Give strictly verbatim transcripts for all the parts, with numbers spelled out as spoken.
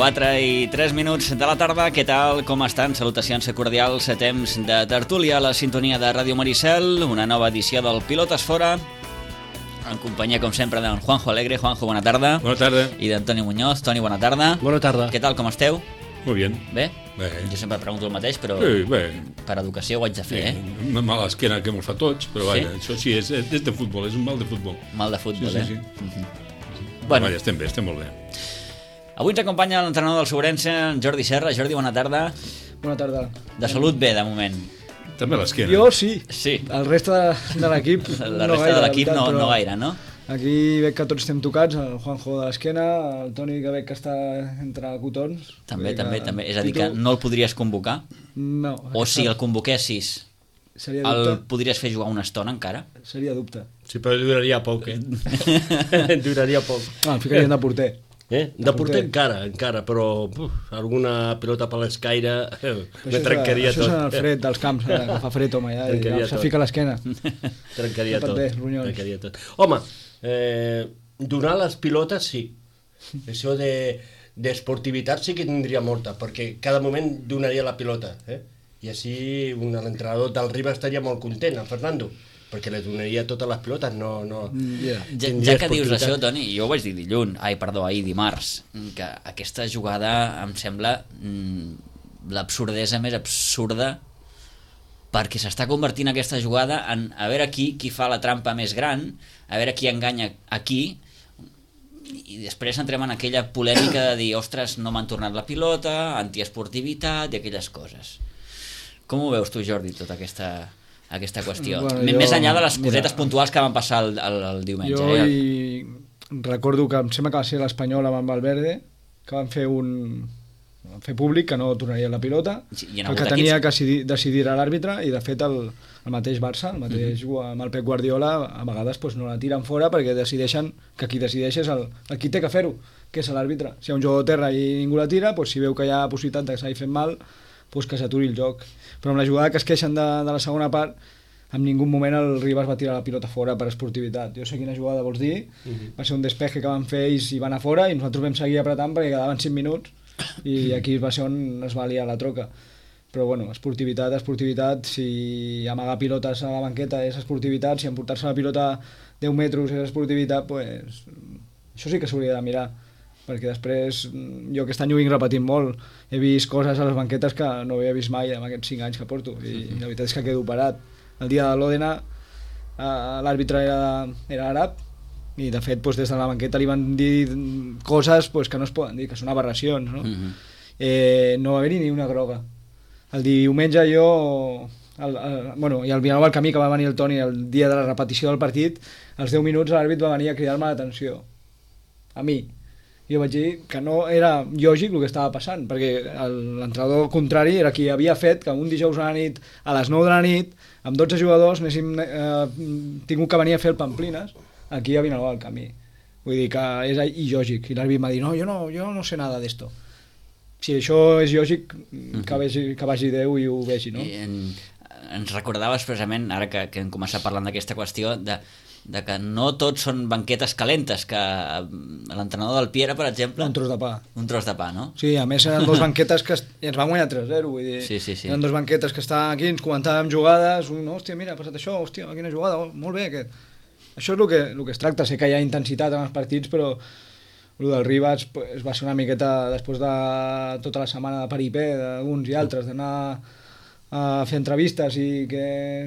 quatre i tres minuts de la tarda. Què tal? Com estan? Salutacions cordials a temps de tertúlia a la sintonia de Ràdio Maricel, una nova edició del Pilotes Fora, en companyia, com sempre, d'en Juanjo Alegre. Juanjo, bona tarda. Bona tarda. I d'Antoni Muñoz. Toni, bona tarda. Bona tarda. Què tal? Com esteu? Molt bien. Bé? Bé. Jo sempre pregunto el mateix, però Sí, bé. per educació ho haig de fer, eh? Una mala esquena que mos fa tots, però Sí? vaja, això sí, és, és de futbol, és un mal de futbol. Mal de futbol, Sí, sí, eh? sí. Mhm. Bueno, Vaja, estem bé, estem molt bé. avui ens acompanya l'entrenador del Sobrense, en Jordi Serra. Jordi, bona tarda. Bona tarda. De salut bé, de moment. També l'esquena. Jo sí. Sí. El reste de, de l'equip La no resta gaire, de l'equip la veritat, no, però no gaire, no? Aquí veig que tots estem tocats, el Juanjo de l'esquena, el Toni que veig que està entre cotons. També, Vull dir també, que també. És a dir, que Tito, no el podries convocar? No. O si el convoquessis, Seria el dubte. podries fer jugar una estona encara? Seria dubte. Sí, però duraria poc, eh? duraria poc. Ah, el ficarien de porter. Eh? De porter encara, encara, però uf, alguna pilota per l'escaire eh, Això me és- trencaria això tot. és en el fred dels camps, eh, que fa fred, home, ja, Trencaria ja se tot. fica a l'esquena. Trencaria No pot tot. bé, ronyons. Trencaria tot. Home, eh, donar les pilotes sí. Això de d'esportivitat sí que tindria molta, perquè cada moment donaria la pilota, eh? I així un- l'entrenador del Riba estaria molt content, el Fernando, perquè li donaria totes les pilotes, no... no Yeah. Ja, tindria ja que dius esportivitat. això, Toni, jo ho vaig dir dilluns, ai, perdó, ahir dimarts, que aquesta jugada em sembla mm, l'absurdesa més absurda, perquè s'està convertint aquesta jugada en a veure qui, qui fa la trampa més gran, a veure qui enganya a qui, i després entrem en aquella polèmica de dir, ostres, no m'han tornat la pilota, antiesportivitat i aquelles coses. Com ho veus tu, Jordi, tota aquesta, aquesta qüestió? Bueno, M- jo- Més enllà de les mira, cosetes puntuals que van passar el, el, el diumenge. Jo eh? hi recordo que em sembla que va ser l'Espanyol amb el Valverde, que van fer un van fer públic que no tornaria la pilota, Sí, hi ha el hagut que equips- tenia que decidir, decidir era l'àrbitre, i de fet el, el mateix Barça, el mateix uh -huh. amb el Pep Guardiola, a vegades pues, no la tiren fora perquè decideixen que qui decideix és el, el qui té que fer-ho, que és l'àrbitre. Si hi ha un jugador a terra i ningú la tira, pues, si veu que hi ha possibilitat de que s'hagi fet mal, pues, que s'aturi el joc. Però amb la jugada que es queixen de, de la segona part, en ningú moment el Ribas va tirar la pilota fora per esportivitat. Jo sé quina jugada vols dir, uh -huh. va ser un despeje que van fer ells i van a fora, i nosaltres vam seguir apretant perquè quedaven cinc minuts, i aquí va ser on es va liar la troca. Però bueno, esportivitat, esportivitat, si amagar pilotes a la banqueta és esportivitat, si emportar-se la pilota deu metres és esportivitat, pues, això sí que s'hauria de mirar, perquè després jo aquest any ho vinc repetint molt, he vist coses a les banquetes que no havia vist mai en aquests cinc anys que porto, i, i la veritat és que quedo parat. El dia de l'Òdena eh, l'àrbitre era, era àrab, i de fet pues, des de la banqueta li van dir coses pues, que no es poden dir, que són aberracions, no? Mhm. eh, no va haver-hi ni una groga. El diumenge jo el, el, bueno, i al Vilanova al camí, que va venir el Toni el dia de la repetició del partit, als deu minuts l'àrbit va venir a cridar-me l'atenció a mi, i jo vaig dir que no era lògic el que estava passant, perquè el- l'entrenador contrari era qui havia fet que un dijous a la nit, a les nou de la nit, amb dotze jugadors anéssim eh, tingut que venir a fer el Pamplines aquí a Vilanova del camí. Vull dir que és il·lògic, i l'àrbit m'ha dit no, jo no, jo no sé nada d'esto. Si això és lògic, que vagi, que vagi Déu i ho vegi, no? I en, ens recordaves precisament, ara que, que hem començat parlant d'aquesta qüestió, de, de que no tots són banquetes calentes, que l'entrenador del Piera, per exemple... Un tros de pa. Un tros de pa, no? Sí, a més eren dos banquetes que es, i ens van guanyar tres zero, vull dir, Sí, sí, sí. eren dos banquetes que estaven aquí, ens comentàvem jugades, un, hòstia, mira, ha passat això, hòstia, quina jugada, oh, molt bé aquest. Això és el que, el que es tracta, sé que hi ha intensitat en els partits, però el del Ribas pues, va ser una miqueta, després de tota la setmana de paripé d'uns i altres, d'anar a fer entrevistes i que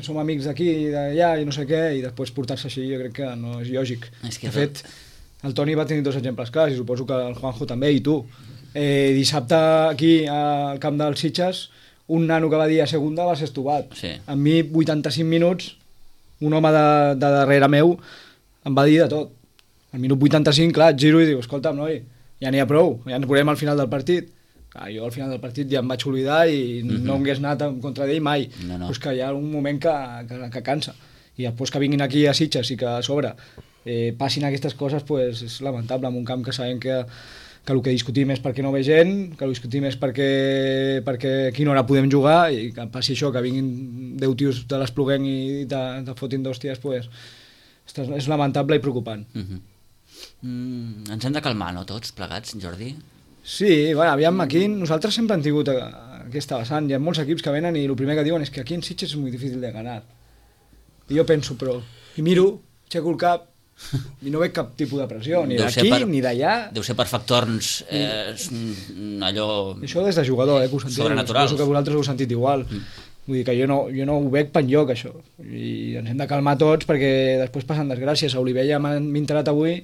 som amics d'aquí i d'allà i no sé què, i després portar-se així jo crec que no és lògic. És que de fet, el Toni va tenir dos exemples clars, i suposo que el Juanjo també, i tu. Eh, dissabte aquí al camp dels Sitges, un nano que va dir a segunda va ser estovat. Sí. A mi, vuitanta-cinc minuts, un home de, de darrere meu em va dir de tot. Al minut vuitanta-cinc, clar, et giro i diu, escolta'm, noi, ja n'hi ha prou, ja ens veurem al final del partit. Clar, jo al final del partit ja em vaig oblidar i mm-hmm. no hagués anat en contra d'ell mai. No, no. Pues que hi ha un moment que, que, que cansa. I després que vinguin aquí a Sitges i que a sobre eh, passin aquestes coses, pues, és lamentable en un camp que sabem que, que el que discutim és perquè no ve gent, que el discutim és perquè, perquè a quina hora podem jugar, i que passi això, que vinguin deu tios de l'Espluguenc i te, te fotin d'hòsties, pues, és lamentable i preocupant. Uh -huh. mm, ens hem de calmar, no, tots plegats, Jordi? Sí, bueno, aviam, aquí nosaltres sempre hem tingut aquesta vessant. Hi ha molts equips que venen i el primer que diuen és que aquí en Sitges és molt difícil de ganar. I jo penso, però... I miro, aixeco el cap, i no veig cap tipus de pressió, ni d'aquí per, ni d'allà. Deu ser per factors eh, allò... Això des de jugador, eh, que ho sentiu. Sobrenaturals. Suposo que vosaltres ho heu sentit igual. Mm. Vull dir que jo no, jo no ho veig per enlloc, això. I ens hem de calmar tots perquè després passen desgràcies. A Olivella m'ha enterat avui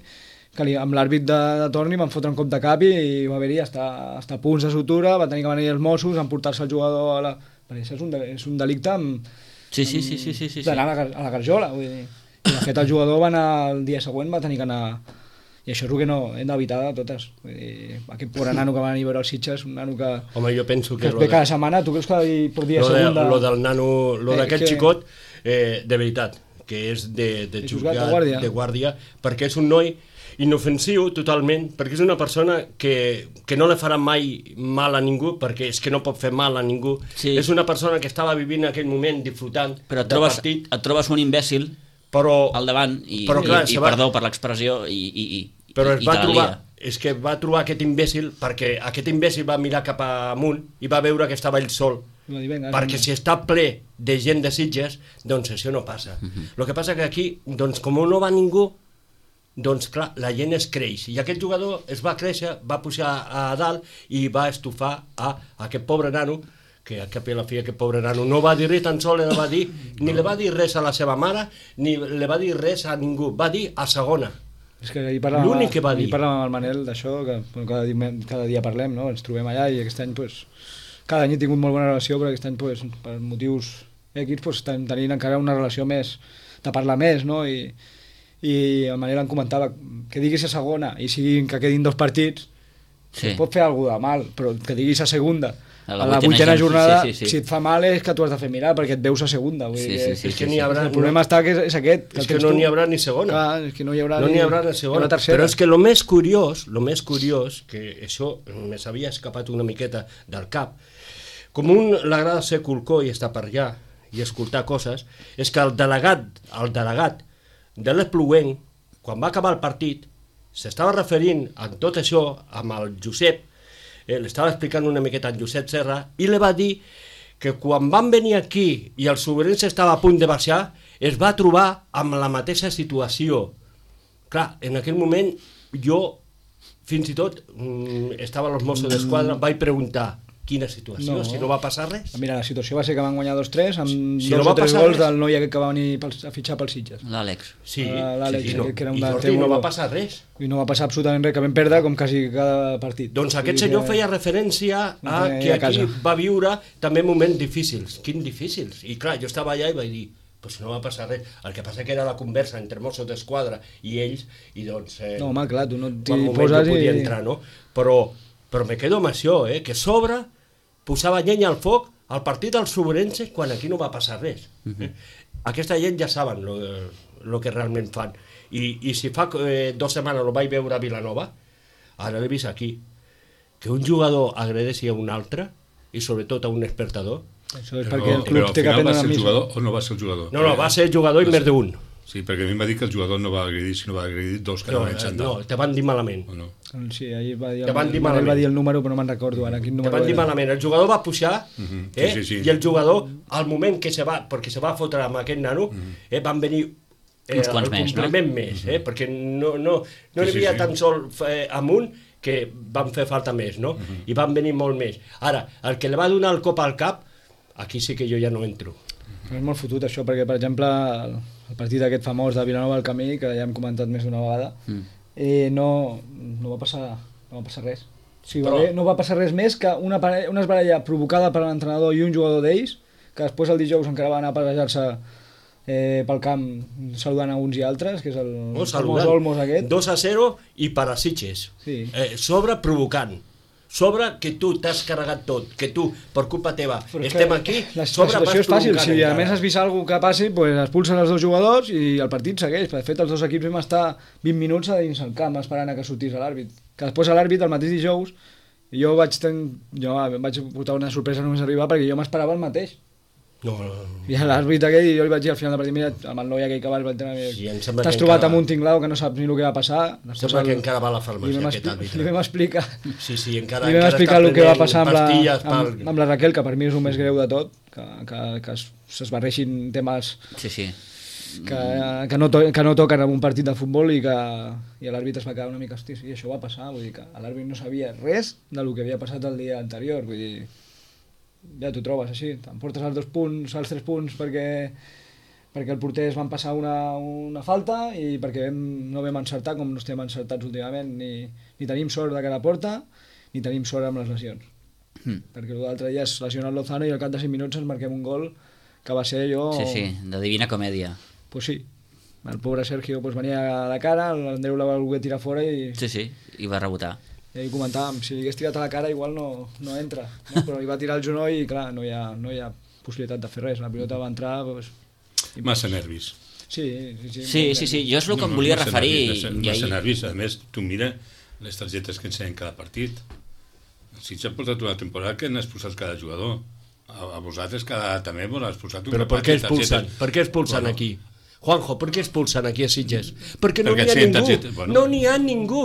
que li, amb l'àrbit de, de torn li van fotre un cop de cap i, i va haver-hi hasta, hasta punts de sutura, va tenir que venir els Mossos, emportar-se el jugador a la... Perquè això és un, és un delicte amb... Sí, sí, sí, sí, sí, sí. d'anar a la, a la garjola, vull dir. I de fet el jugador va anar el dia següent, va tenir que anar... I això és el que no hem d'evitar de totes. Vull dir, aquest pobre nano que va venir a veure els Sitges, un nano que... Home, jo penso que... Que es ve cada setmana, tu creus que per dia lo segunda... De, lo del nano, lo eh, d'aquest que... xicot, eh, de veritat, que és de, de jugar de guàrdia. de guàrdia, perquè és un noi inofensiu totalment, perquè és una persona que, que no le farà mai mal a ningú, perquè és que no pot fer mal a ningú. Sí. És una persona que estava vivint en aquell moment disfrutant però et del trobes, partit. et trobes un imbècil però, al davant i, però, clar, i, i va, perdó per l'expressió i, i, i, però es i va te la trobar, lia. és que va trobar aquest imbècil perquè aquest imbècil va mirar cap amunt i va veure que estava ell sol. Va dir, venga, perquè si està ple de gent de Sitges, doncs això no passa. El uh-huh. Lo que passa que aquí, doncs com no va ningú, doncs clar, la gent es creix. I aquest jugador es va créixer, va pujar a dalt i va estufar a aquest pobre nano, que a cap i a la fi aquest pobre nano no va dir res, tan sol le va dir, ni le va dir res a la seva mare, ni le va dir res a ningú, va dir a segona. És que ahir parlàvem, l'únic que va dir. Ahir parlàvem amb el Manel d'això, que bueno, cada, dia, cada dia parlem, no? Ens trobem allà i aquest any, pues, cada any he tingut molt bona relació, però aquest any, pues, per motius X, pues, estem tenint encara una relació més, de parlar més, no? I, i el Manel em comentava que diguis a segona i siguin que quedin dos partits, sí. pot fer alguna de mal, però que diguis a segunda, a la, a la vuitena jornada, sí, sí, sí. si et fa mal és que tu has de fer mirar perquè et veus a segunda. Vull sí, dir, sí, sí, és que sí, sí, haurà, el problema no, està que és, és aquest. Que és que no n'hi haurà ni segona. Clar, és que no hi haurà, no ni, n'hi haurà ni segona. Però és que el més curiós, lo més curiós, que això me s'havia escapat una miqueta del cap, com un l'agrada ser culcó i estar per allà i escoltar coses, és que el delegat, el delegat de l'Espluguenc, quan va acabar el partit, s'estava referint a tot això amb el Josep, eh, l'estava explicant una miqueta en Josep Serra, i li va dir que quan van venir aquí i el Sobrense estava a punt de baixar, es va trobar amb la mateixa situació. Clar, en aquell moment jo, fins i tot, mm, estava als Mossos d'Esquadra, vaig preguntar quina situació, no. si no va passar res. Mira, la situació va ser que van guanyar dos tres amb si dos no o tres gols res. del noi aquest que va venir pels, a fitxar pels Sitges. L'Àlex. Sí, l'Àlex, sí, no. que era un I davanter no molt va bo. passar res. I no va passar absolutament res, que vam perdre com quasi cada partit. Doncs aquest senyor que... feia referència a que aquí va viure també moments difícils. Quins difícils? I clar, jo estava allà i vaig dir, pues no va passar res. El que passa que era la conversa entre Mossos d'Esquadra i ells, i doncs... Eh, no, home, clar, tu no t'hi poses no podia i... entrar, no? Però, però me quedo amb això, eh? Que sobre posava llenya al foc al partit del Sobrense quan aquí no va passar res. Uh-huh. eh? Aquesta gent ja saben el que realment fan. I, i si fa eh, dues setmanes el vaig veure a Vilanova, ara l'he vist aquí, que un jugador agredeixi a un altre, i sobretot a un espectador. Això és però, perquè el club té que prendre la missa. Jugador, o no va ser el jugador? No, no, va ser jugador i més d'un. Sí, perquè a mi em va dir que el jugador no va agredir, sinó va agredir dos que no, anaven xandall. No, te van dir malament. O no? Sí, ahir va dir, te van dir malament. Va dir el número, però no me'n recordo ara. Quin número te van dir era. malament. El jugador va pujar, uh-huh. eh? sí, sí, sí. i el jugador, al moment que se va, perquè se va fotre amb aquest nano, uh-huh. eh, van venir eh, uns quants el més, complement no? més, eh? perquè no, no, no sí, n'hi havia sí, sí. tan sol eh, amunt que van fer falta més, no? Uh-huh. I van venir molt més. Ara, el que li va donar el cop al cap, aquí sí que jo ja no entro. Però és molt fotut això, perquè, per exemple, el, el partit aquest famós de Vilanova al Camí, que ja hem comentat més d'una vegada, mm. eh, no, no, va passar, no va passar res. O sigui, Però... va bé, no va passar res més que una, parella, una esbaralla provocada per l'entrenador i un jugador d'ells, que després el dijous encara va anar a passejar-se eh, pel camp saludant a uns i altres, que és el oh, famós Olmos aquest. dos a zero i per a Sitges. Sí. Eh, sobre provocant. Sobre que tu t'has carregat tot, que tu, per culpa teva, però estem aquí, la, sobre la situació és fàcil, si encara. a més has vist alguna que passi, pues expulsen els dos jugadors i el partit segueix. De fet, els dos equips vam estar vint minuts a dins el camp esperant a que sortís l'àrbit. Que després a l'àrbit, el mateix dijous, jo vaig, ten... jo vaig portar una sorpresa només arribar perquè jo m'esperava el mateix. No, no, no. I l'àrbitre aquell, jo li vaig dir al final del partit, mira, amb el noi aquell que vas, vaig dir, Sí, em sembla t'has que trobat encara- amb un tinglao que no saps ni el que va passar. Sembla que encara va a la li farmàcia vam, aquest expli àrbitre. li vam explicar, Sí, sí, encara, li vam encara explicar està el que va prenent passar amb la, pastilles pel- amb, amb la Raquel, que per mi és el més greu de tot, que, que, que es- s'esbarreixin temes Sí, sí. que, que, no to que no toquen en un partit de futbol i que i l'àrbitre es va quedar una mica, hosti, sí, això va passar, vull dir que l'àrbitre no sabia res del que havia passat el dia anterior, vull dir, ja t'ho trobes així, t'emportes els dos punts, els tres punts perquè perquè el porter es van passar una, una falta i perquè vam, no vam encertar com no estem encertats últimament, ni, ni tenim sort de cara a porta, ni tenim sort amb les lesions. Mm. Perquè l'altre dia es lesiona el Lozano i al cap de cinc minuts ens marquem un gol que va ser allò... Sí, sí, de Divina Comèdia. Pues sí, el pobre Sergio pues, venia de cara, l'Andreu la va voler tirar fora i, Sí, sí, i va rebotar. i ahir comentàvem, si li hagués tirat a la cara igual no, no entra, no? Però li va tirar el genoll i clar, no hi ha, no hi ha possibilitat de fer res, la pilota va entrar... Pues, Massa nervis. sí, sí, sí, Sí, sí, sí, jo és el que em volia massa referir. Nervis, massa, i massa ahir- nervis. A més, tu mira les targetes que ensenyen cada partit. Si s'ha portat una temporada que n'has posat cada jugador. A, a vosaltres cada, també vos has posat un Però per grapat què de expulsen? targetes. Per què expulsen Bueno. aquí? Juanjo, per què expulsen aquí a Sitges? Perquè no Perquè n'hi ha ensenyen ningú. targetes, bueno. No n'hi ha ningú.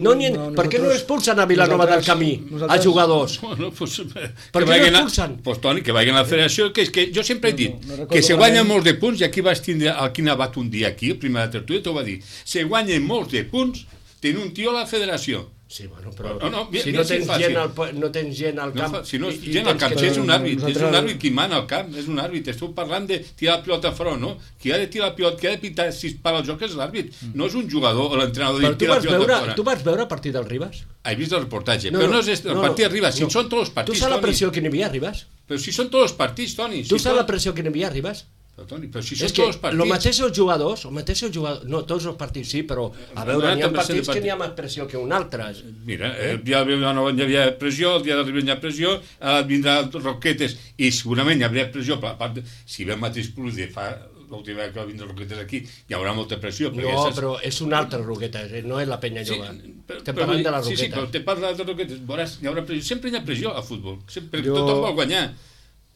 No n'hi ha... No, per què no nosaltres- expulsen a Vilanova del nosaltres- Camí, a nosaltres- jugadors? Bueno, pues, Per que què vagin no a- expulsen? Pues, Toni, que vagin a la federació, que és que jo sempre he No, dit no, no recordo que se guanyen malament. molts de punts, i aquí vas tindre el Quim Abat un dia aquí, el primer de tertúlia, t'ho va dir, se guanyen molts de punts, tenir un tio a la federació. Sí, bueno, però No, no, mira- si mira no si és tens, fàcil. gent al, po- no tens gent al No, camp... fa- si no és i- i gent al tens camp, que- si és un àrbit, és nosaltres- un àrbit qui mana al camp, és un àrbit, esteu parlant de tirar la pilota fora, no? Qui ha de tirar la pilota, qui ha de pitar si es para el joc és l'àrbit, no és un jugador o l'entrenador Però de tu tirar la vas, pilota veure, fora. tu vas veure el partit del Ribas? He vist el reportatge, No, però no, no és el no, partit no, arriba, si no. són tots els Tu partits, saps la Toni. pressió que n'hi havia a Ribas? Però si són tots els partits, Toni. Tu si saps la tot- pressió que n'hi havia a Ribas? Però, Toni, però si És són que tots els partits... el mateix els jugadors, el mateix els jugadors, no tots els partits sí, però a veure, No, n'hi ha també sé de partits que partit. n'hi ha més pressió que un altre. Mira, el dia de Vilanova hi havia pressió, el dia de Ribera hi ha pressió, ara vindrà Roquetes i segurament hi haurà pressió, per la part de, si ve el mateix plus de fa l'última vegada que va vindre Roquetes aquí, hi haurà molta pressió. perquè No, saps- però és un altre Roqueta, eh, no és la penya Sí, jove. però- Estem però parlant de la Sí, sí, Roqueta. però te parla de Roquetes, veuràs, hi haurà pressió. Sempre hi ha pressió al futbol, sempre, Jo- tothom vol guanyar.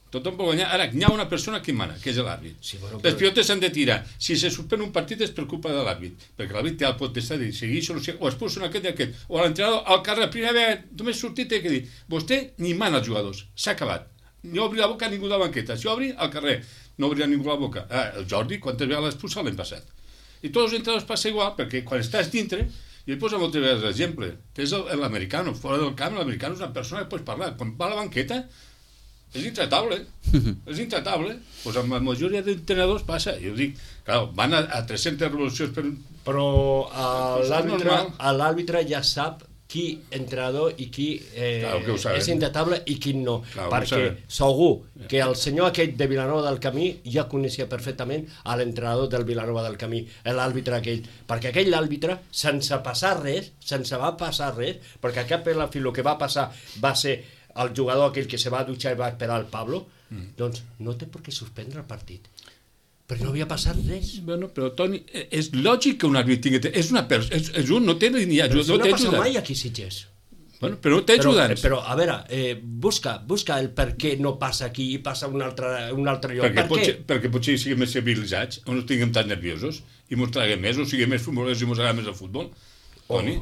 Tothom vol guanyar. Ara, hi ha una persona que mana, que és l'àrbit. Sí, bueno, Les però- pilotes s'han de tirar. Si se suspèn un partit és per culpa de l'àrbit, perquè l'àrbit té el potestat de seguir solució, o expulsen aquest i aquest, o l'entrenador al carrer, la primera vegada, només sortit té que dir, vostè ni mana els jugadors, s'ha acabat. No obri la boca a ningú de la banqueta, si obri al carrer, no obrirà ningú la boca. Ah, el Jordi, quantes vegades l'ha expulsat l'any passat? I tots els entrenadors passa igual, perquè quan estàs dintre, i ell posa moltes vegades l'exemple, tens el- l'americano, fora del camp, l'americano és una persona que pots parlar, quan va a la banqueta, és intratable, és intratable. Pues amb la majoria d'entrenadors passa, jo dic, clar, van a, a tres-centes revolucions per... Però eh, És l'àrbitre normal. l'àrbitre ja sap qui entrenador i qui eh, Clar, que ho sabem. és intratable i qui no. Clar, ho perquè sabem. segur que el senyor aquest de Vilanova del Camí ja coneixia perfectament a l'entrenador del Vilanova del Camí, l'àrbitre aquell. Perquè aquell àrbitre, sense passar res, sense va passar res, perquè a cap i a la fi el que va passar va ser el jugador aquell que se va dutxar i va esperar el Pablo, mm. doncs no té per què suspendre el partit. Perquè no havia passat res. Bueno, però Toni, eh, és lògic que un àrbit tingui... És una persona, és, és un, no té ni Però ajuda, això no no té passa ajuda. mai aquí a Sitges. Bueno, però no té Però, ajudants. però, a veure, eh, busca, busca el per què no passa aquí i passa a un altre, un altre lloc. Perquè, Per què? potser, perquè potser siguem més civilitzats, o no estiguem tan nerviosos, i mos traguem més, o siguem més futbolers i mos agrada més el futbol. Toni?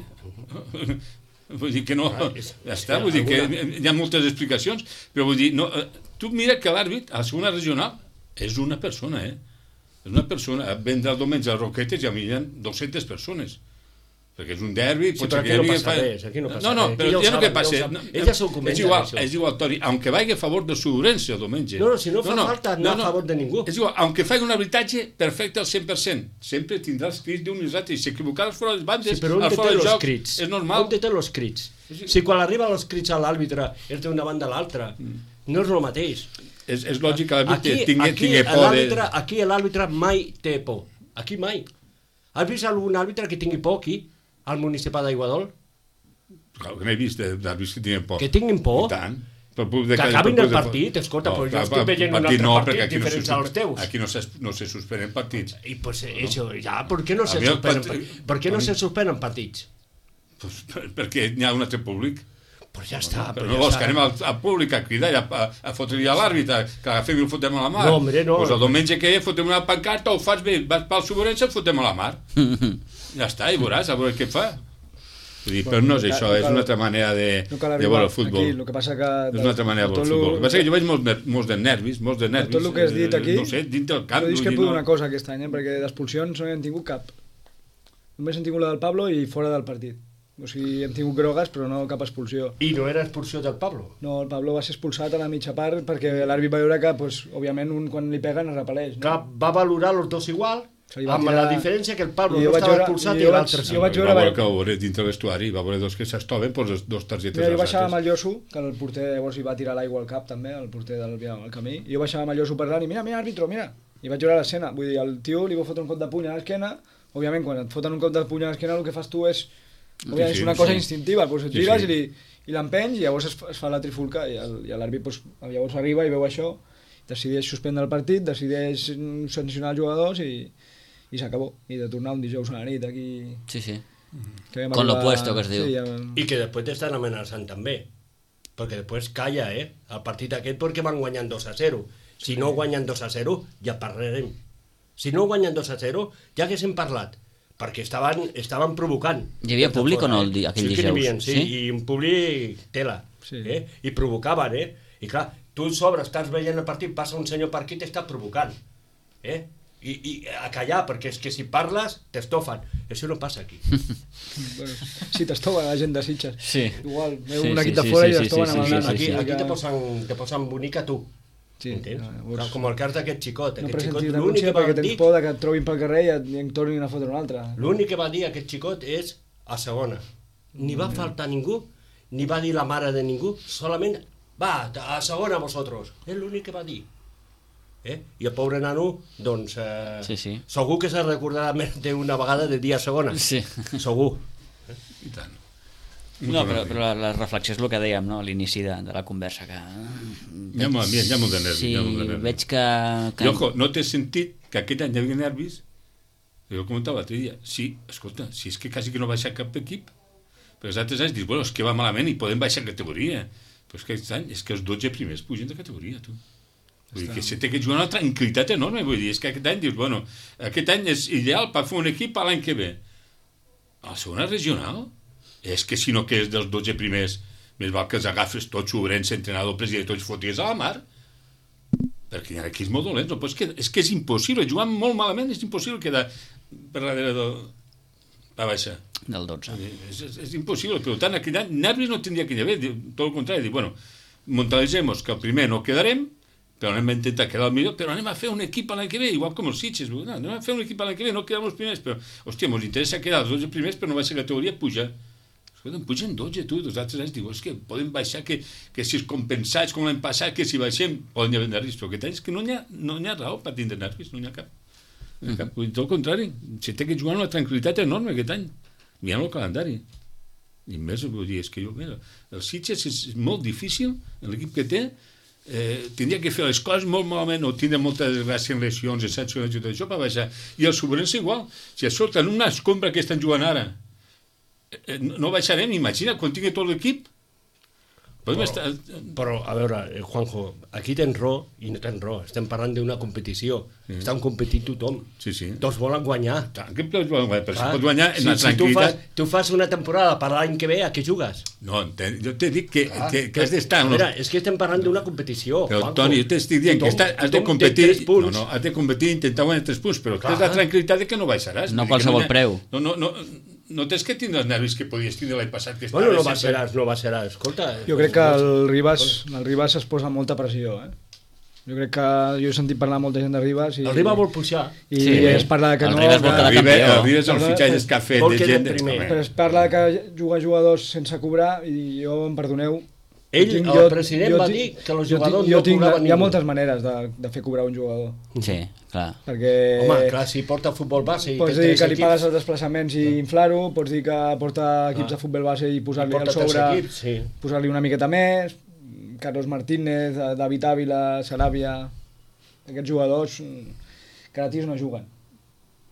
Vull dir que no... Ah, és- Ja és està, que vull dir que alguna- hi ha moltes explicacions, però vull dir, no, eh, tu mira que l'àrbit, a la segona regional, és una persona, eh? És una persona. Vendre el diumenge a Roquetes i a mi hi ha dues-centes persones. Perquè és un derbi... Sí, pot però ser aquí que no hi hagi- passa res, aquí no passa no, no, res. però Aquí ja ho ja no que saben, ja ho passa... saben. No, Ells ja s'ho és comenten, igual, això. és igual, Toni, aunque vagi a favor de Surense el diumenge. No, no, si no fa falta anar a favor de ningú. És igual, aunque faci un arbitratge perfecte al cent per cent, sempre tindrà els crits d'un i l'altre, i si equivocaràs fora les bandes, Sí, però on al te fora té del els joc, crits? és normal. On te té els crits? Si quan arriba els crits a l'àrbitre és d'una banda a l'altra, no és el mateix. És, és lògic que l'àrbitre Aquí, tingui, aquí tingui por de... l'àrbitre aquí l'àrbitre mai té por. Aquí mai. Has vist algun àrbitre que tingui por aquí, al municipi d'Aiguadol? Clar, que n'he vist d'àrbits que tinguin por. Que tinguin por? I tant. Per pur de Que cada- acabin per el pur de- partit, escolta, però jo clar, estic veient un partit altre no, partit perquè aquí no se diferents als suspe- teus. Aquí no se, no se suspenen partits. I pues això, ja, per què no A se mi el suspenen, part- per què no a mi- se suspenen partits? Pues, per- perquè hi ha un altre públic. Pues ja està. Però pues no ja vols està. que anem al, al públic a cridar i a, a, a fotre-li a l'àrbitre, que l'agafem i el fotem a la mar? No, hombre, no. Pues el diumenge que hi ha fotem una pancarta, ho fas bé, vas pel Soborense, el fotem a la mar. Ja està, i veuràs, a veure què fa. Vull dir, però no és això, és una altra manera de, No cal de arribar veure el futbol. aquí, el que passa que... És una altra manera de veure el tot futbol. lo- El que passa que jo veig molts, ner- molts de nervis, molts de nervis. tot el que has dit eh, aquí, No ho sé, dintre del camp. Jo vull dir, discrepo no- d'una cosa aquest any, eh? perquè d'expulsions no n'hem tingut cap. Només hem tingut la del Pablo i fora del partit. O sigui, hem tingut grogues, però no cap expulsió. I no era expulsió del Pablo. No, el Pablo va ser expulsat a la mitja part perquè l'àrbit va veure que, pues, òbviament, un quan li peguen es repel·leix. No? Clar, va valorar els dos igual, Se li va amb tirar- la diferència que el Pablo I jo no vaig estava veure- expulsat i i jo l'altre vaig- sí. jo vaig Va veure- veure que ho veure dintre de l'estuari, va veure dos que s'estoven, doncs dos targetes Mira, jo als baixava amb altres. el Lloso, que el porter llavors hi va tirar l'aigua al cap també, el porter del, del camí, i jo baixava amb el Lloso parlant i mira, mira, àrbitro, mira, i vaig veure l'escena, vull dir, el tio li va fotre un cop de puny a l'esquena, òbviament quan et foten un cop de puny a l'esquena el que fas tu és, òbviament, Sí, sí, és una cosa sí. instintiva, doncs et Sí, gires sí. i li, i l'empenys i llavors es, fa- es fa la trifulca i el- i l'àrbit doncs, llavors arriba i veu això, decideix suspendre el partit, decideix mm, sancionar els jugadors i, i s'acabó, i de tornar un dijous a la nit aquí... Sí, sí. Que vam Con lo arribar- puesto, que es diu. Sí, ja... I que després t'estan amenaçant també. Perquè després calla, eh? El partit aquest perquè van guanyant dos a zero. Si no guanyen dos a zero, ja parlarem. Si no guanyen dos a zero, ja haguéssim parlat. Perquè estaven, estaven provocant. Hi havia públic o no el di- aquell sí, que n'hi dijous? havia, sí, Sí? i un públic tela. Sí. Eh? I provocaven, eh? I clar, tu sobre estàs veient el partit, passa un senyor per aquí i t'està provocant. Eh? I, i a callar, perquè és que si parles t'estofen. Això no passa aquí. Bueno, sí, t'estoven la gent de Sitges. Sí. Igual, veu Sí, un sí, equip de sí, fora sí, i sí, t'estoven sí, amb sí, el sí, nas. Aquí, sí. aquí te posen, te posen bonica tu. Sí, Entens? no, Clar, llavors- com el cas d'aquest xicot. No Aquest xicot presentis l'únic denúncia que va perquè tens dir, por de que et trobin pel carrer i et, i en tornin a fotre un altre. l'únic que va dir aquest xicot és a segona. Ni va faltar ningú, ni va dir la mare de ningú, solament va, a segona vosotros. És l'únic que va dir. Eh? I el pobre nano, doncs, eh, Sí, sí. segur que se recordarà més d'una vegada de dia a segona. Sí. Segur. I tant. No, però, però la, la reflexió és el que dèiem, no?, a l'inici de, de la conversa, que... Hi ha molt- hi ha molt de nervis, Sí, hi ha molt de nervis. veig que... que... I, ojo, no té sentit que aquest any hi havia nervis, jo ho comentava l'altre dia, sí, escolta, si és que quasi que no baixa cap equip, però els altres anys dius, bueno, és que va malament i podem baixar categoria, però és que aquest any és que els dotze primers pugen de categoria, tu. Vull dir que se té que jugar una tranquil·litat enorme, vull dir, és que aquest any dius, bueno, aquest any és ideal per fer un equip a l'any que ve. A la segona regional, és que si no quedes dels dotze primers, més val que els agafes tots, Obrense, entrenador, president, tots foties a la mar, perquè hi ha equips molt dolents, no? Però és, que, és que és impossible, jugant molt malament és impossible quedar per darrere del... va baixar. Del dotze. És, és, és impossible, per tant, aquell any nervis no tindria que haver, tot el contrari, dir, bueno, mentalitzemos que el primer no quedarem, però anem a intentar quedar el millor, però anem a fer un equip a l'any que ve, igual com els Sitges, no, anem a fer un equip a l'any que ve, no quedem els primers, però, hòstia, ens interessa quedar els dotze primers, però no baixar categoria, pujar. Escolta, pugen dotze, tu, els altres anys diu, és que podem baixar, que, que si es compensats com l'any passat, que si baixem, poden haver nervis, però aquest any és que no n'hi ha, no hi ha raó per tindre nervis, no n'hi ha cap. No n'hi ha cap. Vull dir, tot el contrari, se té que jugar amb una tranquil·litat enorme aquest any, mirant el calendari. I més, vull dir, és que jo, mira, el Sitges és molt difícil, l'equip que té, eh, tindria que fer les coses molt malament o tindre molta desgràcia en lesions, en sancions i tot això per baixar. I el Soberense igual. Si escolta, en una escombra que estan jugant ara, eh, no no baixarem, imagina, quan tingui tot l'equip. Podem Però- estar... Però, a veure, eh, Juanjo, aquí tens raó i no tens raó. Estem parlant d'una competició. Mm. Estan competint tothom. Sí, sí. Tots volen guanyar. Tant que pots guanyar, però si Clar. pots guanyar en si, la si tu, fas, tranquil·litat... tu fas una temporada per l'any que ve, a què jugues? No, enten- jo t'he dit que, Clar. que, que has d'estar... A en veure, los- és que estem parlant d'una competició. Però, Juanjo. Toni, jo t'estic dient que Tothom- està, has de tothom té competir... tres punts. No, no, has de competir i intentar guanyar tres punts, però Clar. tens la tranquil·litat de que no baixaràs. No Vull dir que qualsevol hi ha- preu. No, no, no, no tens que tindre els nervis que podies tindre l'any passat. Que Bueno, no estaves sempre- baixaràs, no baixaràs. Escolta... Jo crec que el Ribas, el Ribas es posa molta pressió, eh? Jo crec que jo he sentit parlar molta gent de Ribas i, El Riba vol pujar. i Sí, es parla de que el no... Ribas vol que- quedar El Riba- campió. el Riba és el Perdona, fitxatge que ha fet vol de quedar gent... primer. Home, Però es parla de que juga jugadors sense cobrar i jo, em perdoneu... Ell, tinc- el president va tinc- dir que els jo jugadors tinc- jo no tinc- cobraven Hi ha ningú. moltes maneres de, de fer cobrar un jugador. Sí, clar. Perquè... Home, clar, si porta futbol base i Pots té dir tres que li equips, pagues els desplaçaments i inflar-ho, pots dir que porta equips Ah. de futbol base i i posar-li porta al tres sobre, equips, sí. posar-li una miqueta més, Carlos Martínez, David Ávila, Saràbia... Aquests jugadors mm, gratis no juguen.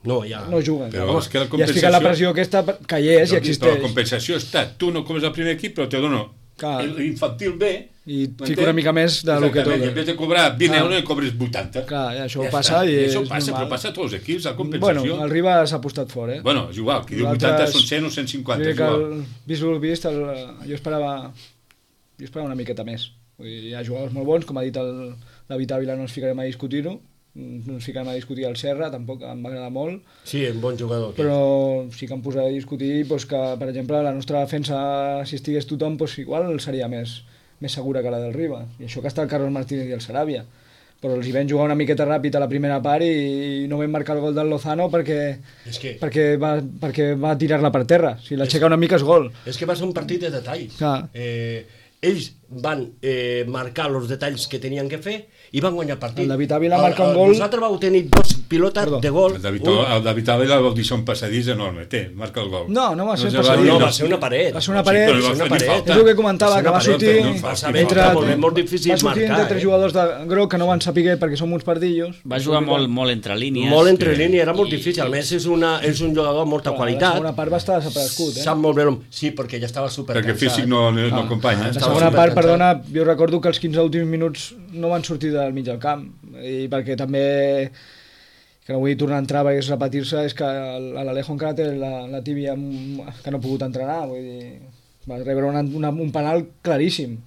No, ja. No juguen. Però Llavors, és que la I es fica la compensació- pressió aquesta per- que hi és i Però existeix. la compensació està, tu no comes al primer equip, però te dono Clar. L'infantil B... I fico una mica més de lo que toca. toca. En vez de cobrar vint Clar. euros, en cobres vuitanta. Clar, i això Ja passa està. i Això és passa, normal. però passa a tots els equips, la Bueno, compensació. el Ribas s'ha apostat fort, eh? Bueno, és igual, qui diu Nosaltres- vuitanta són cent o cent cinquanta, Jo és crec que igual. el, vist el vist, el, jo esperava jo esperava una miqueta més. Vull dir, hi ha jugadors molt bons, com ha dit el David Ávila, no ens ficarem a discutir-ho, no ens ficarem a discutir el Serra, tampoc em va agradar molt, Sí, un bon jugador. però sí que em posaré a discutir doncs, que, per exemple, la nostra defensa, si estigués tothom, doncs, igual seria més, més segura que la del Ribas. I això que està el Carlos Martínez i el Sarabia. Però els hi vam jugar una miqueta ràpid a la primera part i no vam marcar el gol del Lozano perquè, És que, perquè, va, perquè va tirar-la per terra. Si l'aixeca una mica és gol. és que va ser un partit de detalls. Clar. Eh, ells van eh, marcar els detalls que tenien que fer i van guanyar el partit. El David Ávila El- marca un el- gol. Vosaltres vau tenir dos pilotes Perdó. de gol. El David, un- el David Ávila va deixar un passadís enorme. Té, marca el gol. No, no va ser se passadís. dir, No, va ser una paret. Va ser una Sí, paret. però li Va va ser una fer ni paret. falta. És el que comentava, Va ser que va una paret, sortir... no fa saber, entre, està molt bé, molt difícil va sortir marcar, entre tres eh? jugadors de groc que no van saber perquè som uns pardillos. Va jugar molt, molt entre línies. Molt entre Sí. línies, era molt I- difícil. A més, és, una, és un jugador amb molta La qualitat. segona part va estar desaparegut, eh? Sap molt bé l'home. Sí, perquè ja estava super Perquè físic no, no, no acompanya. La estava segona part, supercansat. perdona, jo recordo que els quinze últims minuts no van sortir del mig del camp. I perquè també, que no vull tornar a entrar perquè és repetir-se, és que l'Alejo encara té la, la tíbia que no ha pogut entrenar. Vull dir, va rebre una, una, un penal claríssim.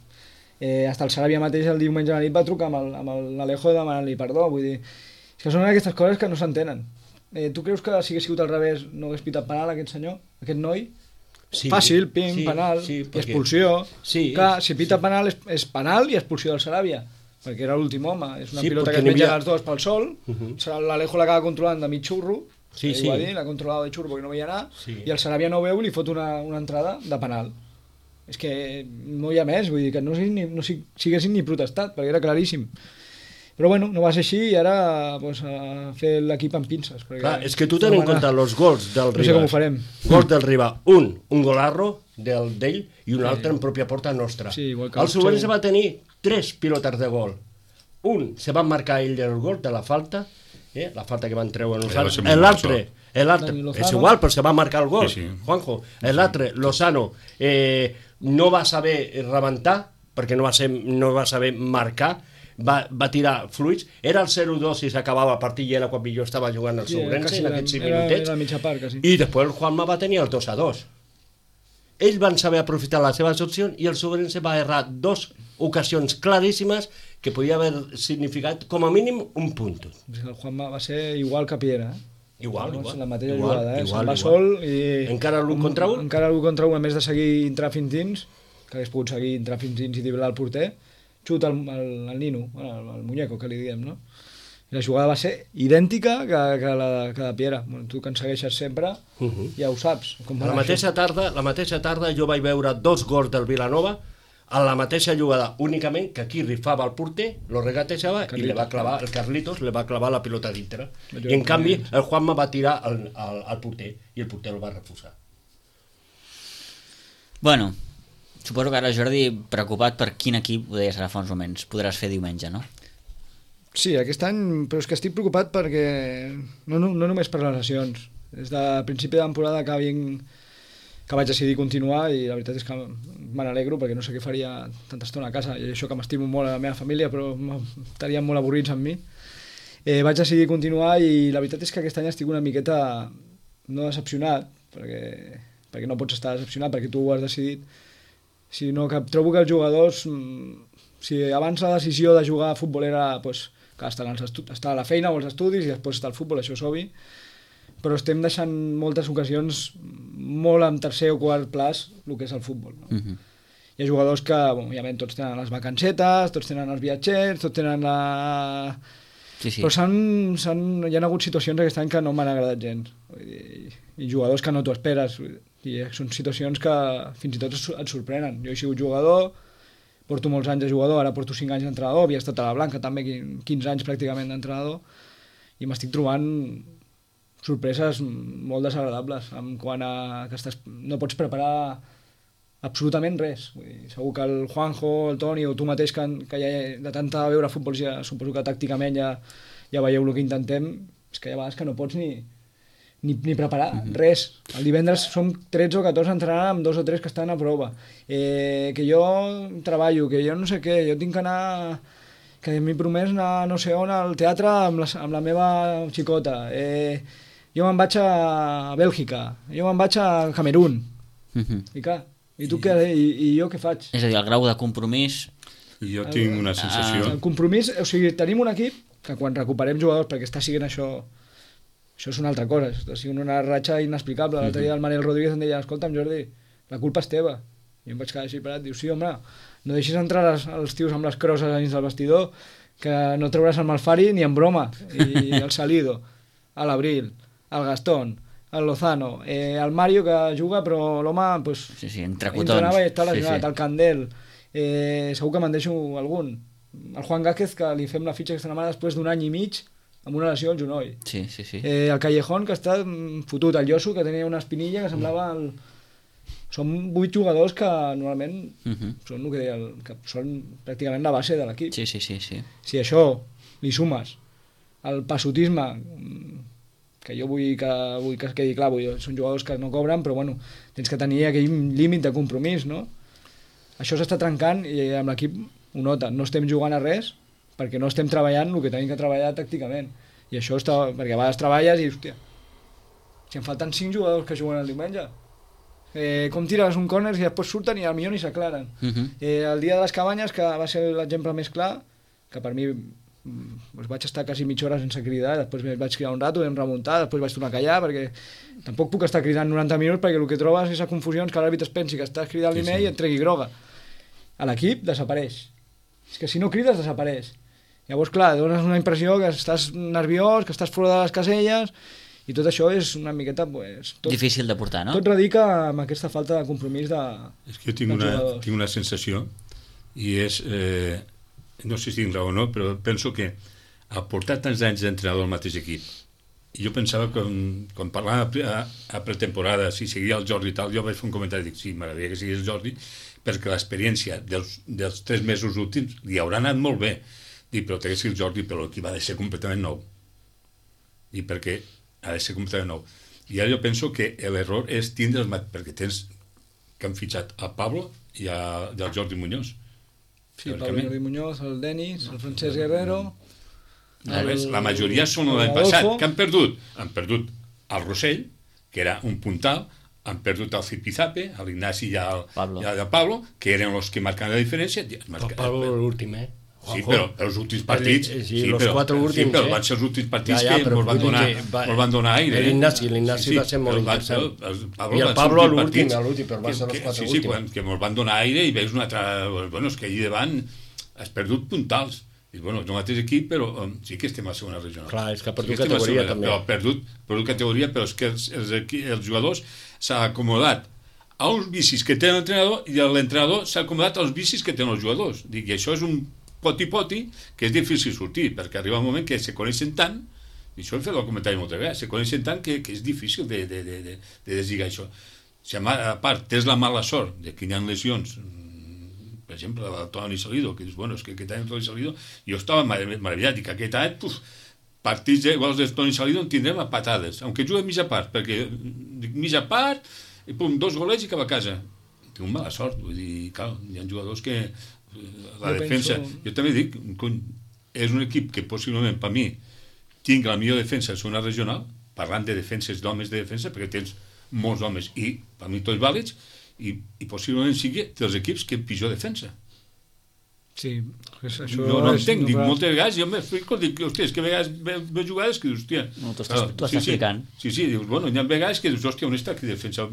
Eh, hasta el Sarabia mateix el diumenge a la nit va trucar amb el- amb el- l'Alejo demanant-li perdó. Vull dir, és que són aquestes coses que no s'entenen. Eh, tu creus que si hagués sigut al revés no hagués pitat penal aquest senyor, aquest noi? Sí, Fàcil, pim, sí, penal, sí, i perquè- expulsió. Sí. Clar, si pita penal és, és penal i expulsió del Saràbia, perquè era l'últim home. És una Sí, pilota perquè que es n'hi menja havia- els dos pel sol, uh Mhm. -huh. l'Alejo l'acaba controlant de mig xurro, Sí, eh, sí. ho va dir, l'ha controlat de xurro perquè no veia anar, Sí. i el Saràbia no ho veu i li fot una, una entrada de penal. És que no hi ha més, vull dir que no, sigui ni, no sig- siguessin ni protestat, perquè era claríssim. Però bueno, no va ser així i ara pues, a fer l'equip amb pinces. Perquè Clar, és que tu ten en no va anar- compte els gols del Riba. No sé com ho farem. Gols del Riba. Un, un golarro del d'ell i un altre en pròpia porta nostra. Sí, igual que el el Soberense seu. va tenir tres pilotes de gol. Un, se va marcar ell el gol de la falta, eh? la falta que van treure va ser nosaltres. molt L'altre, l'altre, Dani Lozano. és igual, però se va marcar el gol, Sí, sí. Juanjo. L'altre, Lozano, eh, no va saber rebentar, perquè no va, ser, no va saber marcar, va, va tirar fluids, era el zero dos i s'acabava el partit i era quan millor estava jugant el Sí, era Soberense quasi en la- aquests cinc era- minutets. era la mitja part, quasi. I després el Juanma va tenir el dos a dos. Ells van saber aprofitar les seves opcions i el Soberense va errar dos ocasions claríssimes que podia haver significat com a mínim un punt. El Juanma va ser igual que Piera, eh? Igual, Vamos, igual. la mateixa igual, jugada, eh? igual, Se'n va igual. sol i... Encara l'un contra un? Encara l'un contra un, a més de seguir entrar fins dins, que hagués pogut seguir entrar fins dins i driblar el porter, xuta el, el, el Nino, bueno, el, el muñeco, que li diem, no? I la jugada va ser idèntica que, que, la, que la Piera. Bueno, tu que ens segueixes sempre, Uh -huh. ja ho saps. Com va La anar mateixa tarda, la mateixa tarda jo vaig veure dos gols del Vilanova a la mateixa jugada, únicament que aquí rifava el porter, lo regatejava i le va clavar, el Carlitos le va clavar la pilota dintre. I en canvi el Juanma va tirar al, al, al porter i el porter el va refusar. Bueno, suposo que ara Jordi, preocupat per quin equip, ho deies ara fa uns moments, podràs fer diumenge, no? Sí, aquest any, però és que estic preocupat perquè no, no, no només per les lesions. Des de principi de temporada que, vinc, que vaig decidir continuar i la veritat és que me n'alegro perquè no sé què faria tanta estona a casa i això que m'estimo molt a la meva família però estarien molt avorrits amb mi. Eh, vaig decidir continuar i la veritat és que aquest any estic una miqueta no decepcionat perquè, perquè no pots estar decepcionat perquè tu ho has decidit, sinó que trobo que els jugadors, si abans la decisió de jugar a futbol era pues, que estar, als estar a la feina o als estudis i després estar al futbol, això és obvi, però estem deixant moltes ocasions molt en tercer o quart plaç el que és el futbol. No? Uh -huh. Hi ha jugadors que, bueno, òbviament, tots tenen les vacancetes, tots tenen els viatgers, tots tenen la... Sí, sí. Però s'han, s'han, hi ha hagut situacions aquest any que no m'han agradat gens. Vull dir, i jugadors que no t'ho esperes. I són situacions que fins i tot et sorprenen. Jo he sigut jugador, porto molts anys de jugador, ara porto cinc anys d'entrenador, havia estat a la Blanca també, quinze anys pràcticament d'entrenador, i m'estic trobant sorpreses molt desagradables en quant a que estàs, no pots preparar absolutament res. Vull dir, segur que el Juanjo, el Toni o tu mateix que, que ja de tanta veure futbol ja suposo que tàcticament ja, ja veieu el que intentem, és que hi ha vegades que no pots ni, ni, ni preparar, uh -huh. res. El divendres som tretze o catorze entrenant amb dos o tres que estan a prova. Eh, que jo treballo, que jo no sé què, jo tinc que anar... que m'he promès anar no sé on al teatre amb la, amb la meva xicota. Eh, jo me'n vaig a Bèlgica, jo me'n vaig a Camerún. Uh -huh. I clar, i tu I... què? I, I jo què faig? És a dir, el grau de compromís... Jo tinc una sensació... El compromís, o sigui, tenim un equip que quan recuperem jugadors, perquè està siguent això... Això és una altra cosa, està sent una ratxa inexplicable. L'altre dia el Manel Rodríguez em deia, escolta'm Jordi, la culpa és teva. I em vaig quedar així parat, diu, sí home, no deixis entrar les, els tios amb les crosses dins del vestidor, que no trauràs el Malfari ni en broma. I el Salido, l'Abril, el Gastón, el Lozano, eh, el Mario que juga però l'home pues, sí, sí, entre cotons. entrenava i està lesionat, sí, sí. El Candel, eh, segur que me'n deixo algun. El Juan Gáquez, que li fem la fitxa aquesta setmana després d'un any i mig amb una lesió al genoll. Sí, sí, sí. Eh, el Callejón, que està fotut. El Yosu, que tenia una espinilla que semblava... El... Són vuit jugadors que normalment uh -huh. són, el que deia, el, que són pràcticament la base de l'equip. Sí, sí, sí, sí. Si això li sumes el passotisme, que jo vull que, vull que es quedi clar, vull, són jugadors que no cobren, però bueno, tens que tenir aquell límit de compromís, no? Això s'està trencant i amb l'equip ho nota. No estem jugant a res perquè no estem treballant el que tenim que treballar tàcticament. I això està... perquè a vegades treballes i, hòstia, si em falten cinc jugadors que juguen el diumenge, eh, com tires un córner i després surten i al millor ni s'aclaren. Uh -huh. eh, el dia de les cabanyes, que va ser l'exemple més clar, que per mi doncs vaig estar quasi mitja hora sense cridar, després vaig cridar un rato, vam remuntar, després vaig tornar a callar, perquè tampoc puc estar cridant noranta minuts perquè el que trobes és la confusió que l'àrbitre es pensi que estàs cridant sí, l'email sí. i et tregui groga. A l'equip desapareix. És que si no crides desapareix. Llavors, clar, dones una impressió que estàs nerviós, que estàs fora de les caselles, i tot això és una miqueta... Pues, tot, difícil de portar, no? Tot radica amb aquesta falta de compromís de És que jo tinc, una, tinc una sensació, i és... Eh, no sé si tinc raó o no, però penso que al portar tants anys d'entrenador al mateix equip, i jo pensava que quan, quan parlava a, a pretemporada, si seguia el Jordi i tal, jo vaig fer un comentari, dic, sí, m'agradaria que seguís el Jordi, perquè l'experiència dels, dels tres mesos últims li haurà anat molt bé. Dic, però té que ser el Jordi, però l'equip ha de ser completament nou. I perquè ha de ser completament nou. I ara jo penso que l'error és tindre el mat, perquè tens que han fitxat a Pablo i, a, i al Jordi Muñoz. Sí, Pablo Jordi Muñoz, el Denis, el Francesc Guerrero... El, el, la majoria són l'any passat, que han perdut. Han perdut el Rossell, que era un puntal, han perdut el Zipizape, l'Ignasi i el Pablo. I el Pablo, que eren els que marcaven la diferència. El Pablo l'últim, eh? Sí, però els últims partits... Sí, sí, los però, quatre últims, sí, però eh? van ser els últims partits ja, ja, que ens van, va, van donar aire. L'Ignasi, l'Ignasi sí, sí, va ser molt interessant. El, el, el I el Pablo a l'últim, a l'últim, però van ser els quatre sí, últims. Sí, que ens van donar aire i veus una altra... Bueno, és que allà davant has perdut puntals. I, bueno, és el mateix equip, però um, sí que estem a segona regional. Clar, és que ha perdut sí categoria segona, també. Però ha perdut, perdut categoria, però és que els, els, els jugadors s'ha acomodat a uns vicis que té l'entrenador i l'entrenador s'ha acomodat als vicis que tenen els jugadors. Dic, i això és un poti-poti que és difícil sortir, perquè arriba un moment que se coneixen tant, i això he fet el comentari moltes vegades, se coneixen tant que, que és difícil de, de, de, de, de deslligar això. Si a part tens la mala sort de que hi ha lesions, per exemple, el Toni Salido, que dius, bueno, és que aquest any el Toni Salido, jo estava meravellat, i que aquest any, puf, partits iguals del Toni Salido en tindrem a patades, aunque juga mitja part, perquè mitja part, i pum, dos golets i cap a casa. Tinc mala sort, vull dir, clar, hi ha jugadors que la jo defensa, penso... jo també dic, cony, és un equip que possiblement per mi tinc la millor defensa de segona regional, parlant de defenses d'homes de defensa, perquè tens molts homes i per mi tots vàlids, i, i possiblement sigui dels equips que pitjor defensa. Sí, això no, no entenc, no dic, moltes vegades jo m'explico, dic, hòstia, és que a vegades veus jugades que dius, hòstia... No, tu estàs, tu estàs sí, explicant. Sí, sí, dius, bueno, hi ha vegades que dius, hòstia, on està aquí defensa?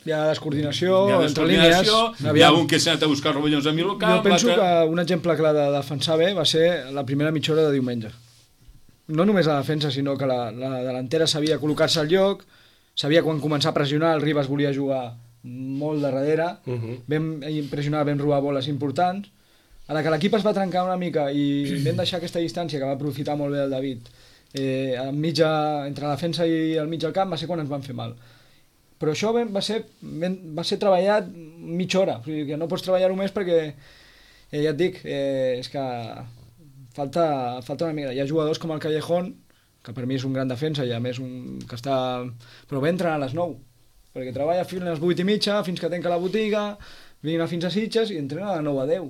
Hi ha descoordinació, hi ha entre línies... Hi ha un que s'ha anat a buscar rovellons a mi local... Jo penso que un exemple clar de defensar bé va ser la primera mitja hora de diumenge. No només la defensa, sinó que la, la delantera sabia col·locar-se al lloc, sabia quan començar a pressionar, el Ribas volia jugar molt de darrere, uh -huh. vam pressionar, vam robar boles importants. A la que l'equip es va trencar una mica i vam deixar aquesta distància que va aprofitar molt bé el David, eh, mitja, entre la defensa i el mig del camp, va ser quan ens van fer mal. Però això va ser, va ser treballat mitja hora, o sigui que no pots treballar-ho més perquè, eh, ja et dic, eh, és que falta, falta una mica. Hi ha jugadors com el Callejón, que per mi és un gran defensa i a més un que està... Però ve entrenant a les nou, perquè treballa fins a les vuit i mitja, fins que tanca la botiga, vine fins a Sitges i entrena a nou a deu.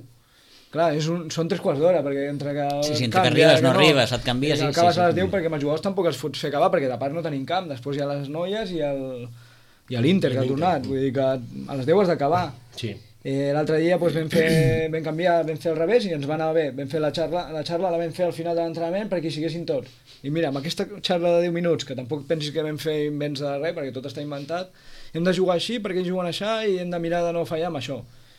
Clar, és un, són tres quarts d'hora, perquè entre que... Sí, sí, entre canvia, que arribes, no, no arribes, et canvies... Sí, acabes sí, sí. a les deu perquè amb els jugadors tampoc els fots fer acabar, perquè de part no tenim camp, després hi ha les noies i el... i l'Inter que ha tornat, vull dir que a les deu has d'acabar. Sí. Eh, L'altre dia doncs, vam, fer, vam canviar, vam fer al revés i ens va anar bé. Vam fer la xarra, la xarra la vam fer al final de l'entrenament perquè hi siguessin tots. I mira, amb aquesta xarra de deu minuts, que tampoc pensis que vam fer invents de res, perquè tot està inventat, hem de jugar així perquè ells juguen això i hem de mirar de no fallar amb això.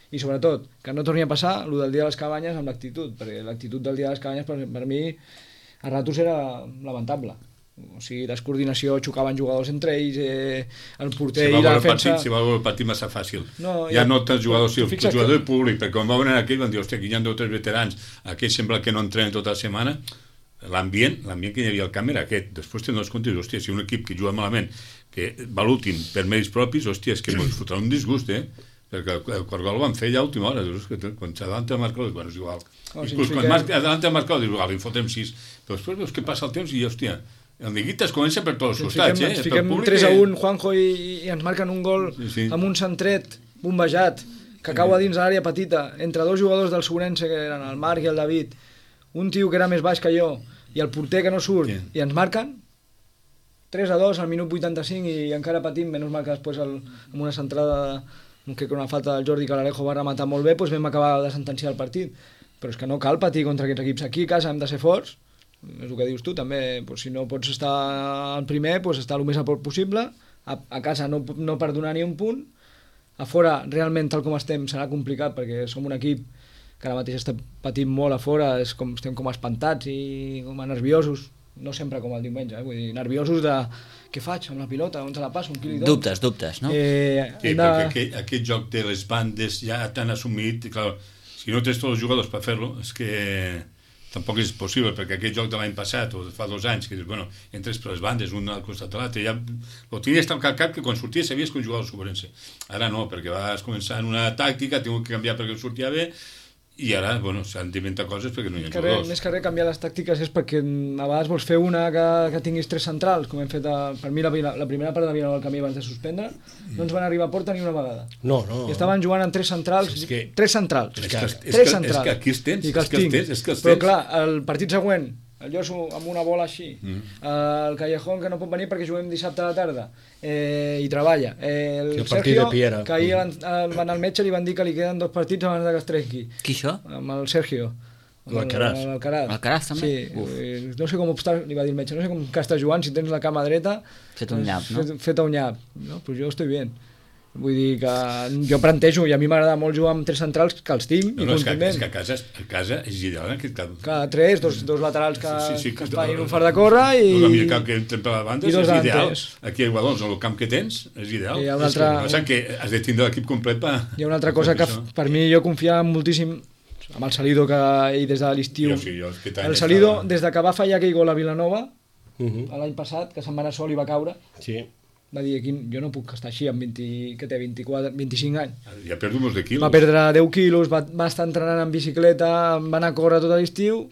I sobretot, que no torni a passar el del dia de les cabanyes amb l'actitud, perquè l'actitud del dia de les cabanyes per, per mi a ratos era lamentable. O sigui, descoordinació, xocaven jugadors entre ells, eh, el porter si i la defensa... Partit, si va veure el partit massa fàcil. No, ja, ja no tants jugadors, tu, si el jugador que... públic, perquè quan va venir aquell van dir, hòstia, aquí hi ha dos o tres veterans, aquell sembla que no entrenen tota la setmana, l'ambient, l'ambient que hi havia al camp era aquest. Després te'n dones compte, hòstia, si un equip que juga malament, que va l'últim per mèrits propis, hòstia, és que ens fotrà un disgust, eh? Perquè el quart gol el van fer ja a última hora, dius, que quan s'adalanta el marcador, bueno, és igual. Oh, inclús quan que... adalanta el marcador, dius, igual, li fotem sis. Però després veus que passa el temps i, hòstia, el Neguitas comença per tots els costats, eh? Ens fiquem tres a un, Juanjo, i, i ens marquen un gol sí, sí. amb un centret bombejat, que cau a dins de l'àrea petita, entre dos jugadors del Sobrense, que eren el Marc i el David, un tio que era més baix que jo, i el porter que no surt, sí. i ens marquen, tres a dos al minut vuitanta-cinc, i encara patim, menys mal que després el, amb una centrada, que una falta del Jordi, que l'Alejo va rematar molt bé, doncs vam acabar de sentenciar el partit. Però és que no cal patir contra aquests equips. Aquí a casa hem de ser forts, és el que dius tu, també, doncs, si no pots estar al primer, doncs estar el més a prop possible, a, a casa no, no perdonar ni un punt, a fora, realment, tal com estem, serà complicat, perquè som un equip que ara mateix està patint molt a fora, és com, estem com espantats i com a nerviosos, no sempre com el diumenge, eh? Vull dir, nerviosos de què faig amb la pilota, on te la passo, un quilidó. Dubtes, dubtes, no? Eh, sí, de... perquè aquest, aquest joc de les bandes ja t'han assumit, i clar, si no tens tots els jugadors per fer-lo, és que tampoc és possible, perquè aquest joc de l'any passat o fa dos anys, que dius, bueno, entres per les bandes, un al costat de l'altre, ja ho tenies tan calcat que quan sorties sabies que un jugador Sobrense. Ara no, perquè vas començar en una tàctica, tinc que canviar perquè sortia bé, i ara, bueno, s'han d'inventar coses perquè no hi ha que jugadors. Res, més que res canviar les tàctiques és perquè a vegades vols fer una que, que tinguis tres centrals, com hem fet a, per mi la, la primera part de Vilanova del Camí abans de suspendre, no ens van arribar a porta ni una vegada. No, no. I estaven jugant en tres centrals, és que, tres centrals. És que, és, tres que, centrals. És que aquí els tens, I que els és que els tinc. tens, és que els Però tens. clar, el partit següent, el Josu amb una bola així, mm. el Callejón que no pot venir perquè juguem dissabte a la tarda eh, i treballa, eh, el, el Sergio que ahir mm. van, van al metge i li van dir que li queden dos partits abans que es trenqui. Qui això? Amb el Sergio, l'Alcaraz. L'Alcaraz també? Sí, no sé com està, li va dir el metge, no sé com que està jugant, si tens la cama dreta fet un nyap, no? Fet, fet un nyap, no? Pues jo estoy bien. Vull dir que jo plantejo, i a mi m'agrada molt jugar amb tres centrals que els tinc no, i no, és que, és que a casa, a casa és ideal en aquest cas. Clar, tres, dos, dos laterals que, sí, sí, que que es facin un far de córrer i... El millor camp que entren per la banda és ideal. Aquí a Igualons, el camp que tens és ideal. I hi ha una altra... És que, que has de tindre l'equip complet per... Hi ha una altra cosa que això. Per mi jo confiava moltíssim amb el Salido que ell des de l'estiu... Sí, el Salido, estava... des de que va fallar aquell gol a Vilanova, uh -huh. l'any passat, que se'n va anar sol i va caure, sí. va dir, aquí, jo no puc estar així amb vint, que té vint-i-quatre, vint-i-cinc anys. Ja ha perdut molts de quilos. Va perdre deu quilos, va, va estar entrenant en bicicleta, va anar a córrer tot l'estiu,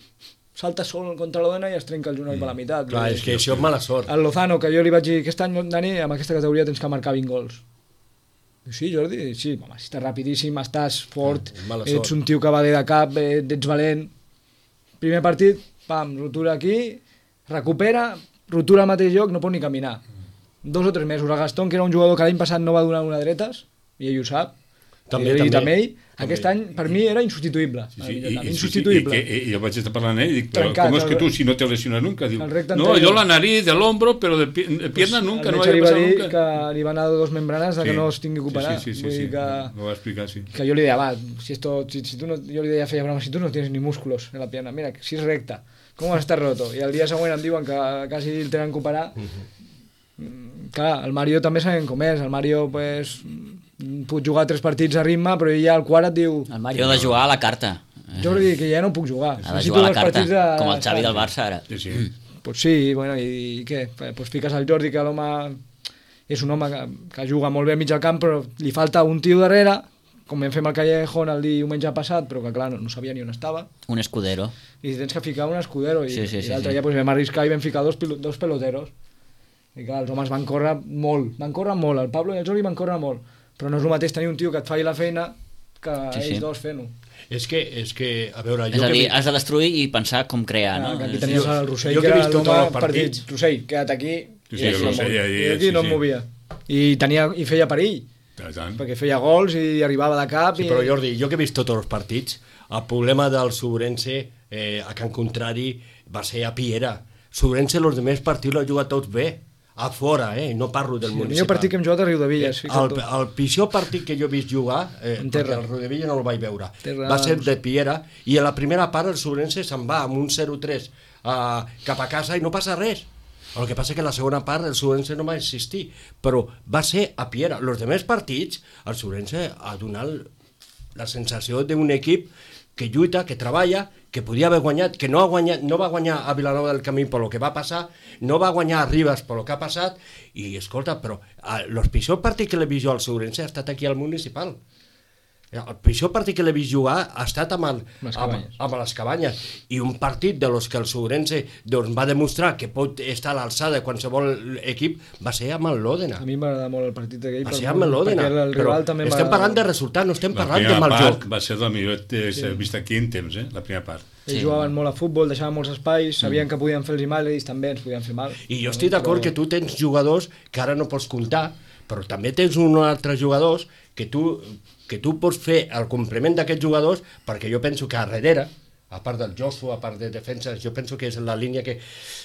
salta sol contra la dona i es trenca el genoll mm. per la meitat. Clar, és que això és mala sort. El Lozano, que jo li vaig dir, aquest any, Dani, amb aquesta categoria tens que marcar vint gols. Sí, Jordi, sí, home, si estàs rapidíssim, estàs fort, ah, ets un tio que va bé de cap, ets valent. Primer partit, pam, rotura aquí, recupera, rotura al mateix lloc, no pot ni caminar. Dos o tres mesos. El Gastón, que era un jugador que l'any passat no va donar una dretes, i ell ho sap, també, i, també, també ell, també. Aquest any per mi era insubstituïble. Sí, sí, i, i, insubstituïble. I, i, i jo vaig estar parlant amb ell i dic, però Trencat, com és que tu si no te lesiones nunca? Diu, no, jo la nariz, de l'hombro, però de, de pierna pues nunca, no vaig passar nunca. El que li van anar dos membranes de sí, que no es tingui que operar. Sí, sí, sí, sí, sí. Que, ho va explicar, sí. Que jo li deia, va, si esto, si, si tu no, jo li deia, feia broma, si tu no tienes ni músculos en la pierna, mira, si és recta, com has estat roto? I el dia següent em diuen que quasi el tenen que operar. Uh -huh. Clar, el Mario també sabem com és, el Mario pues, pot jugar tres partits a ritme, però ja el quart et diu... El Mario ha de jugar a la carta. Jordi, que ja no puc jugar. Ha de jugar a la carta, de... com el Xavi del Barça ara. Sí, sí. Mm. Pues sí, bueno, i, i què? Pues fiques al Jordi, que l'home és un home que, que juga molt bé al mig del camp, però li falta un tio darrere com vam fer amb el Callejón el diumenge passat, però que clar, no, no sabia ni on estava, Un escudero. i tens que ficar un escudero, i, Sí, sí, sí, i l'altre sí. dia pues, vam arriscar i vam ficar dos, pilo, dos peloteros, i clar, els homes van córrer molt, van córrer molt, el Pablo i el Jordi van córrer molt, però no és el mateix tenir un tio que et faci la feina que Sí, ells sí. dos fent-ho. És que, és que, a veure, És jo a que dir, vi- has de destruir i pensar com crear, no? Ah, que aquí És- tenies jo- el Rossell, jo que que he era vist tots l'home els per dir, partits. Rossell, queda't aquí, Sí, sí, i, el Rossell ja- i ja- aquí no sí, em sí. movia. I, tenia, i feia perill, I tant. perquè feia gols i arribava de cap. Sí, i... però Jordi, jo que he vist tots els partits, el problema del Sobrense eh, a Can Contrari va ser a Piera. Sobrense els demés partits l'ha jugat tots bé, a fora, eh? No parlo del Sí, el municipal. millor partit que hem jugat a Riudevilles, El, fixa't tu. el pitjor partit que jo he vist jugar, eh, En terra. perquè el Rodevilla no el vaig veure, Terra, va ser no sé. de Piera, i a la primera part el Sobrense se'n va amb un zero tres uh, cap a casa i no passa res. El que passa que la segona part el Sobrense no va existir, però va ser a Piera. Els demés partits, el Sobrense ha donat la sensació d'un equip que lluita, que treballa, que podia haver guanyat, que no, ha guanyat, no va guanyar a Vilanova del Camí per lo que va passar, no va guanyar a Ribes per lo que ha passat, i escolta, però el pitjor partit que l'he vist jo al Segurense ha estat aquí al Municipal. El pitjor partit que l'he vist jugar ha estat amb, el, Les amb, Cabanyes. amb les Cabanyes, i un partit de los que el Segurense doncs, va demostrar que pot estar a l'alçada de qualsevol equip va ser amb el Lòdena. A mi m'agrada molt el partit aquell, Va pel- ser amb el Lòdena, perquè el però rival també estem m'agrada parlant de molt. resultat, no estem La parlant de primera mal part joc. va ser la millor que s'ha vist aquí en temps, eh? La primera part. Ells Sí. jugaven molt a futbol, deixaven molts espais, sabien que podien fer-los mal, ells també ens podien fer mal. I jo estic d'acord que tu tens jugadors que ara no pots comptar, però també tens uns altres jugadors que tu, que tu pots fer el complement d'aquests jugadors, perquè jo penso que a darrere, a part del Josu, a part de defenses, jo penso que és la línia que,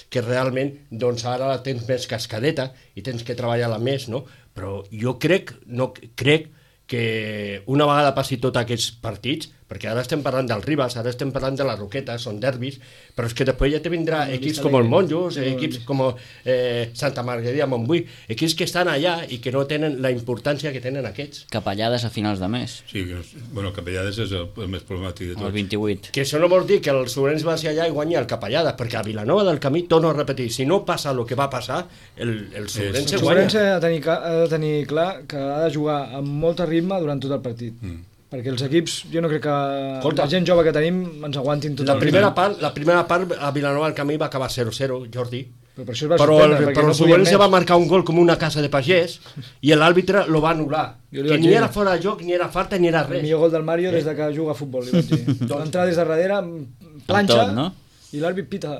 que realment doncs ara la tens més cascadeta i tens que treballar-la més, no? Però jo crec, no, crec que una vegada passi tots aquests partits, perquè ara estem parlant del Ribas, ara estem parlant de la Roqueta, són derbis, però és que després ja te vindrà No, equips Vista com el Alegre. Monjos, No, no, equips no. com eh, Santa Margarida, Montbui, equips que estan allà i que no tenen la importància que tenen aquests. Capellades a finals de mes, Sí, que, bueno, Capellades és el, el més problemàtic de el tots. vint-i-vuit. Que això no vol dir que el Sobrense va ser allà i guanyi el Capellada, perquè a Vilanova del Camí, torno a repetir, si no passa el que va passar, el, el Sobrense El guanya. Sobrense ha de, tenir, ca- ha de tenir clar que ha de jugar amb molt ritme durant tot el partit. Mm. Perquè els equips, jo no crec que Escolta, la gent jove que tenim ens aguantin tot La el primera, ritme. part, la primera part a Vilanova del Camí va acabar zero zero, Jordi. Però per això es va Però el, sorprendre, perquè però no el podien Sobrense més. va marcar un gol com una casa de pagès i l'àrbitre lo va anul·lar. Jo li Que vaig ni dir. era fora de joc, ni era falta, ni era El res. millor gol del Mario des de que juga a futbol, li vaig dir. Va entrar des de darrere, planxa, tot, no? i l'àrbit pita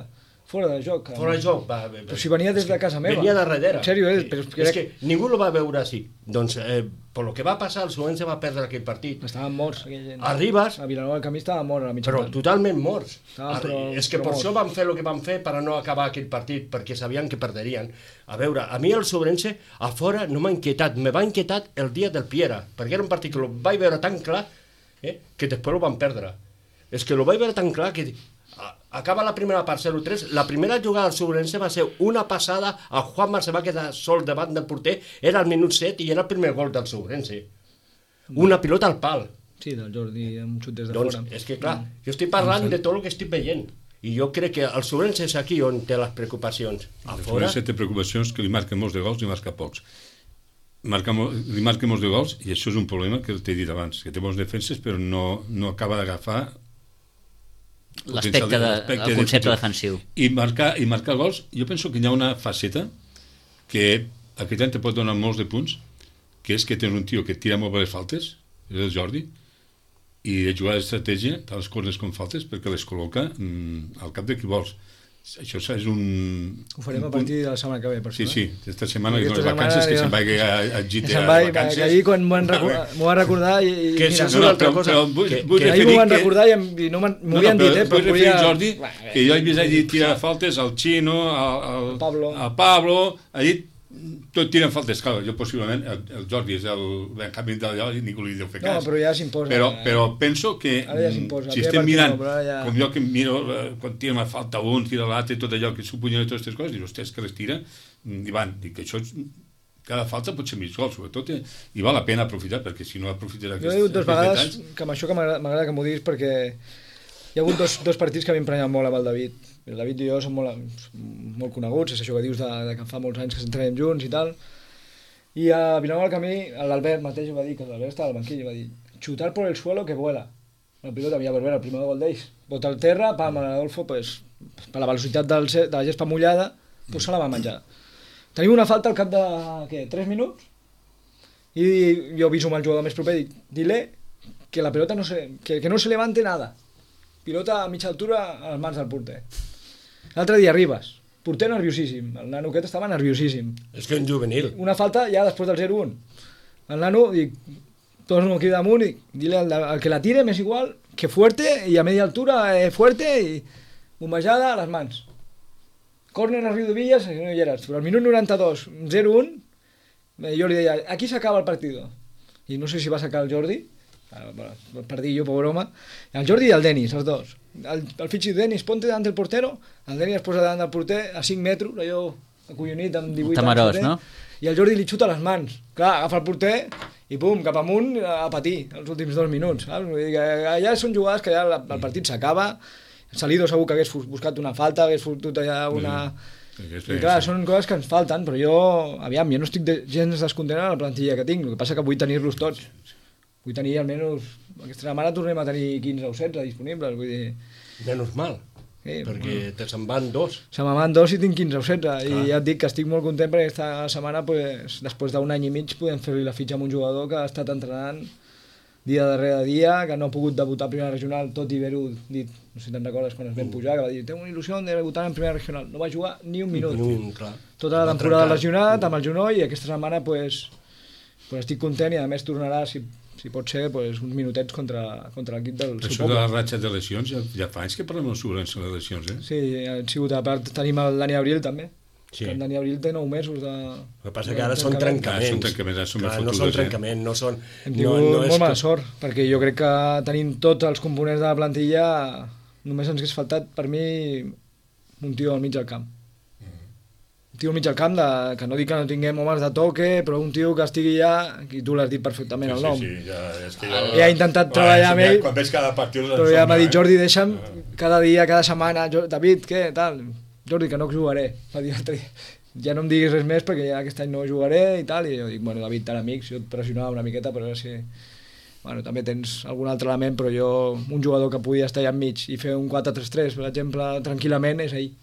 fora de joc. Fora de joc. Va, va, Però si venia des de casa meva. Venia de darrere. En sèrio, eh? Però és que és era- que ningú lo va veure així. Doncs, eh, per lo que va passar, el Sobrense va perdre aquell partit. Estaven morts, aquella gent. A Ribas, A Vilanova del Camí estava mort a la mitja però part. totalment morts. Ah, A- però- és que però per morts. això van fer el que van fer per a no acabar aquell partit, perquè sabien que perderien. A veure, a mi el Sobrense a fora no m'ha inquietat, me va inquietat el dia del Piera, perquè era un partit que el vaig veure tan clar eh, que després ho van perdre. És que el vaig veure tan clar que a- acaba la primera part zero tres, la primera jugada del Sobrense va ser una passada, el Juanma se va quedar sol davant del porter, era al minut set i era el primer gol del Sobrense. Una pilota al pal. Sí, del Jordi, amb un xut des de Doncs fora. és que clar, jo estic parlant de tot el que estic veient i jo crec que el Sobrense és aquí on té les preocupacions. A El fora, Sobrense té preocupacions que li marquen molts de gols i marca pocs. Marca, mo- li marca molts de gols i això és un problema que t'he dit abans, que té bons defenses però no, no acaba d'agafar L'aspecte de, l'aspecte el concepte defensiu. I marcar, I marcar gols, jo penso que hi ha una faceta que aquest any te pot donar molts de punts, que és que tens un tio que tira molt bé les faltes, és el Jordi, i de jugar d'estratègia, tant les cornes com faltes, perquè les col·loca mm, al cap de qui vols. Això és un... Ho farem un a punt- partir de la setmana que ve, per Sí, això. sí, eh? aquesta setmana que Aquesta són les vacances, setmana que ja- se'n vagi a, a Gita Se'n a va, vacances. que ahir quan m'ho van recordar, m'ho va recordar i, i Que mira, això és No, una no, altra però- cosa. però vull- que, vull que, ahir m'ho referir van que- recordar i, em, i no m'han- m'ho havien dit, eh, però vull referir volia... al Jordi, que jo he vist allí tirar faltes al Chino, al, al, Al Pablo. al Pablo, allí tot tiren faltes, clar, jo possiblement, el, el Jordi és el Benjamín d'allò i ningú li deu fer No, cas. però ja s'imposa. Però, però penso que Ara ja mm, s'imposa. si El estem primer mirant, partit no, però ara ja- com jo que miro eh, quan tira una falta un, tira l'altre, tot allò que s'opunyen de totes aquestes coses, dius, hòstia, és que les tira, mm, i van, dic que això és, cada falta pot ser mig gol, sobretot, eh, i val la pena aprofitar, perquè si no aprofites Jo aquests, he dit dues aquests vegades detalls... que amb això que m'agrada m'agrada que m'ho diguis perquè hi ha hagut dos, dos partits que m'he emprenyat molt amb el David. El David i jo som molt, molt coneguts, és això que dius de, de que fa molts anys que s'entrenem junts i tal. I a Vilanova del Camí, l'Albert mateix ho va dir, que l'Albert estava al banquillo, va dir chutar por el suelo que vuela. La pilota, mira, pues, bueno, el primer gol d'ells. Bota al terra, pam, l'Adolfo, pues, per la velocitat del, de la gespa mullada, pues, se la va menjar. Tenim una falta al cap de, què, tres minuts? I jo aviso amb el jugador més proper, dic, dile que la pelota no se, que, que no se levante nada. Pilota a mitja altura a les mans del porter. L'altre dia arribes, porter nerviosíssim, el nano aquest estava nerviosíssim. És que un juvenil. Una falta ja després del zero un. El nano, dic, torno aquí damunt i dile al, al que la tire m'és igual que fuerte i a media altura eh, fuerte i bombejada a les mans. Córner a Riu de Villas, no hi eres, però al minut noranta-dos, zero un, eh, jo li deia, aquí s'acaba el partit. I no sé si va sacar el Jordi, per dir jo, pobre home, el Jordi i el Denis, els dos. El, el fitxi Denis, ponte davant del portero, el Denis es posa davant del porter a cinc metres, allò acollonit amb divuit Tamarós, anys. no? I el Jordi li xuta les mans. Clar, agafa el porter i pum, cap amunt a patir els últims dos minuts. Saps? Vull dir que allà són jugades que ja el partit s'acaba. Salido segur que hagués buscat una falta, hagués fotut allà una... Mm. I clar, són coses que ens falten, però jo, aviam, jo no estic de, gens descontent en la plantilla que tinc, el que passa que vull tenir-los tots. Vull tenir almenys... Aquesta setmana tornem a tenir quinze o setze disponibles, vull dir... Menys mal, Sí, perquè bueno. te se'n van dos. Se me'n van dos i tinc quinze o setze. I ja et dic que estic molt content perquè aquesta setmana, pues, després d'un any i mig, podem fer-li la fitxa amb un jugador que ha estat entrenant dia darrere dia, que no ha pogut debutar a primera regional, tot i haver-ho dit, no sé si te'n recordes quan es vam pujar, que va dir, tengo una il·lusió de debutar en primera regional. No va jugar ni un minut. Un, clar. Tota la temporada lesionat, amb el genoll, i aquesta setmana, pues, pues estic content i a més tornarà, si, si pot ser, pues, uns minutets contra, contra l'equip del seu Això poble. de la ratxa de lesions, ja, ja fa anys que parlem de les lesions, eh? Sí, han sigut, a part tenim el Dani Abril també. Sí. Que el Dani Abril té nou mesos de... El que passa que ara són trencaments. Ah, són trencaments, ara són Clar, més no fotudes, són eh? trencaments, no són... Hem no, tingut no molt és mala que... sort, perquè jo crec que tenim tots els components de la plantilla, només ens hagués faltat, per mi, un tio al mig del camp. Un tio al mig del camp, de, que no dic que no tinguem homes de toque, però un tio que estigui ja, i tu l'has dit perfectament el nom. Sí, sí, ja, és que jo... Ja he intentat treballar amb ell, Quan veig cada partit... però ja m'ha dit, Jordi, deixa'm cada dia, cada setmana, Jo- David, què, tal? Jordi, que no jugaré. Va dir l'altre dia, ja no em diguis res més perquè ja aquest any no jugaré i tal, i jo dic, bueno, David, tan amics, jo et pressionava una miqueta, però ara sí... Bueno, també tens algun altre element, però jo, un jugador que podia estar allà enmig i fer un quatre tres tres, per exemple, tranquil·lament, és ell.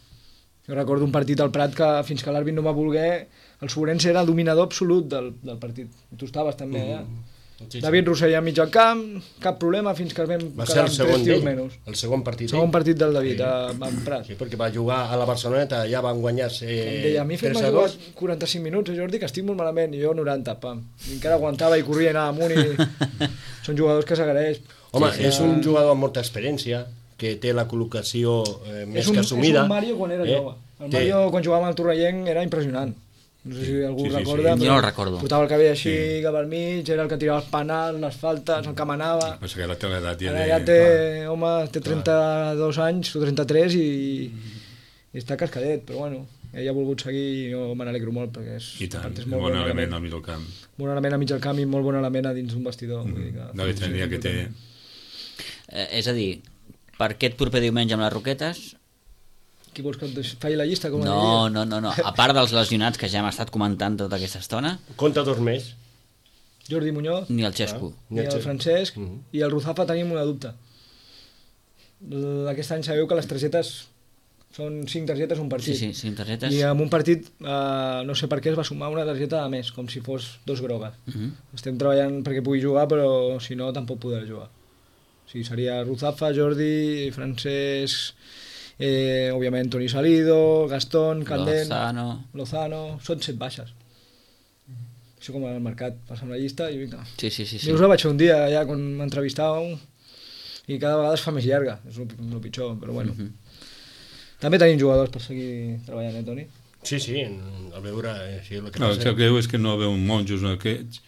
Jo recordo un partit al Prat que fins que l'àrbit no va voler, el Sobrense era el dominador absolut del, del partit. Tu estaves també allà. Mm. Sí, sí. David Rossell a mig al camp, cap problema fins que es vam Va ser quedar el amb segon tres tios d'ell, menys. el segon partit Segon d'ell. partit del David, Sí. a, a Prat. Sí, perquè va jugar a la Barceloneta, ja van guanyar eh, Em deia, a mi fes-me jugar quaranta-cinc minuts, eh, Jordi, que estic molt malament, i jo noranta, pam. I encara aguantava i corria i anava amunt i... Són jugadors que s'agraeix. Home, Sí, sí. és un jugador amb molta experiència, que té la col·locació eh, més és un, que assumida. És un Mario quan era eh? jove. El Té- Mario, quan jugava amb el Torrellenc, era impressionant. No sé si algú Sí, sí, recorda. sí. Jo no el recordo. Portava el cabell així, Sí. cap al mig, era el que tirava els penals, les faltes, el que manava. Passa que ara té l'edat ja Ara de... ja té, home, té trenta-dos anys o trenta-tres i, i està cascadet, però bueno, ell ha volgut seguir i jo me n'alegro molt perquè és, I tant, a part és un molt bon bon element element, al mig del camp. bon element a mig del camp i molt bon element a dins d'un vestidor. Vull dir que, De la veterania que té... Eh, és a dir, per aquest proper diumenge amb les Roquetes, Qui vols que et deix- faci la llista? Com no, no, no, no. A part dels lesionats que ja hem estat comentant tota aquesta estona, Compta dos més. Jordi Muñoz, ni el Xesco. ni el Francesc Mhm. i el Ruzafa tenim una dubte. Aquest any sabeu que les targetes són cinc targetes un Sí, partit. sí, cinc targetes. I en un partit, eh, no sé per què, es va sumar una targeta a més, com si fos dos grogues. Mhm. Estem treballant perquè pugui jugar, però si no, tampoc podrà jugar. O sigui, seria Ruzafa, Jordi, Francesc, eh, òbviament Toni Salido, Gastón, Candent, Lozano. Lozano, són set baixes. Això com al mercat, passa'm la llista i vinga. Sí, sí, sí. sí. Jo us la vaig fer un dia ja quan m'entrevistàveu i cada vegada es fa més llarga, és el, el pitjor, però bueno. Mhm. També tenim jugadors per seguir treballant, eh, Toni? Sí, sí, al veure... Eh, sí, el que No, el passa... que greu és que no veu monjos aquests,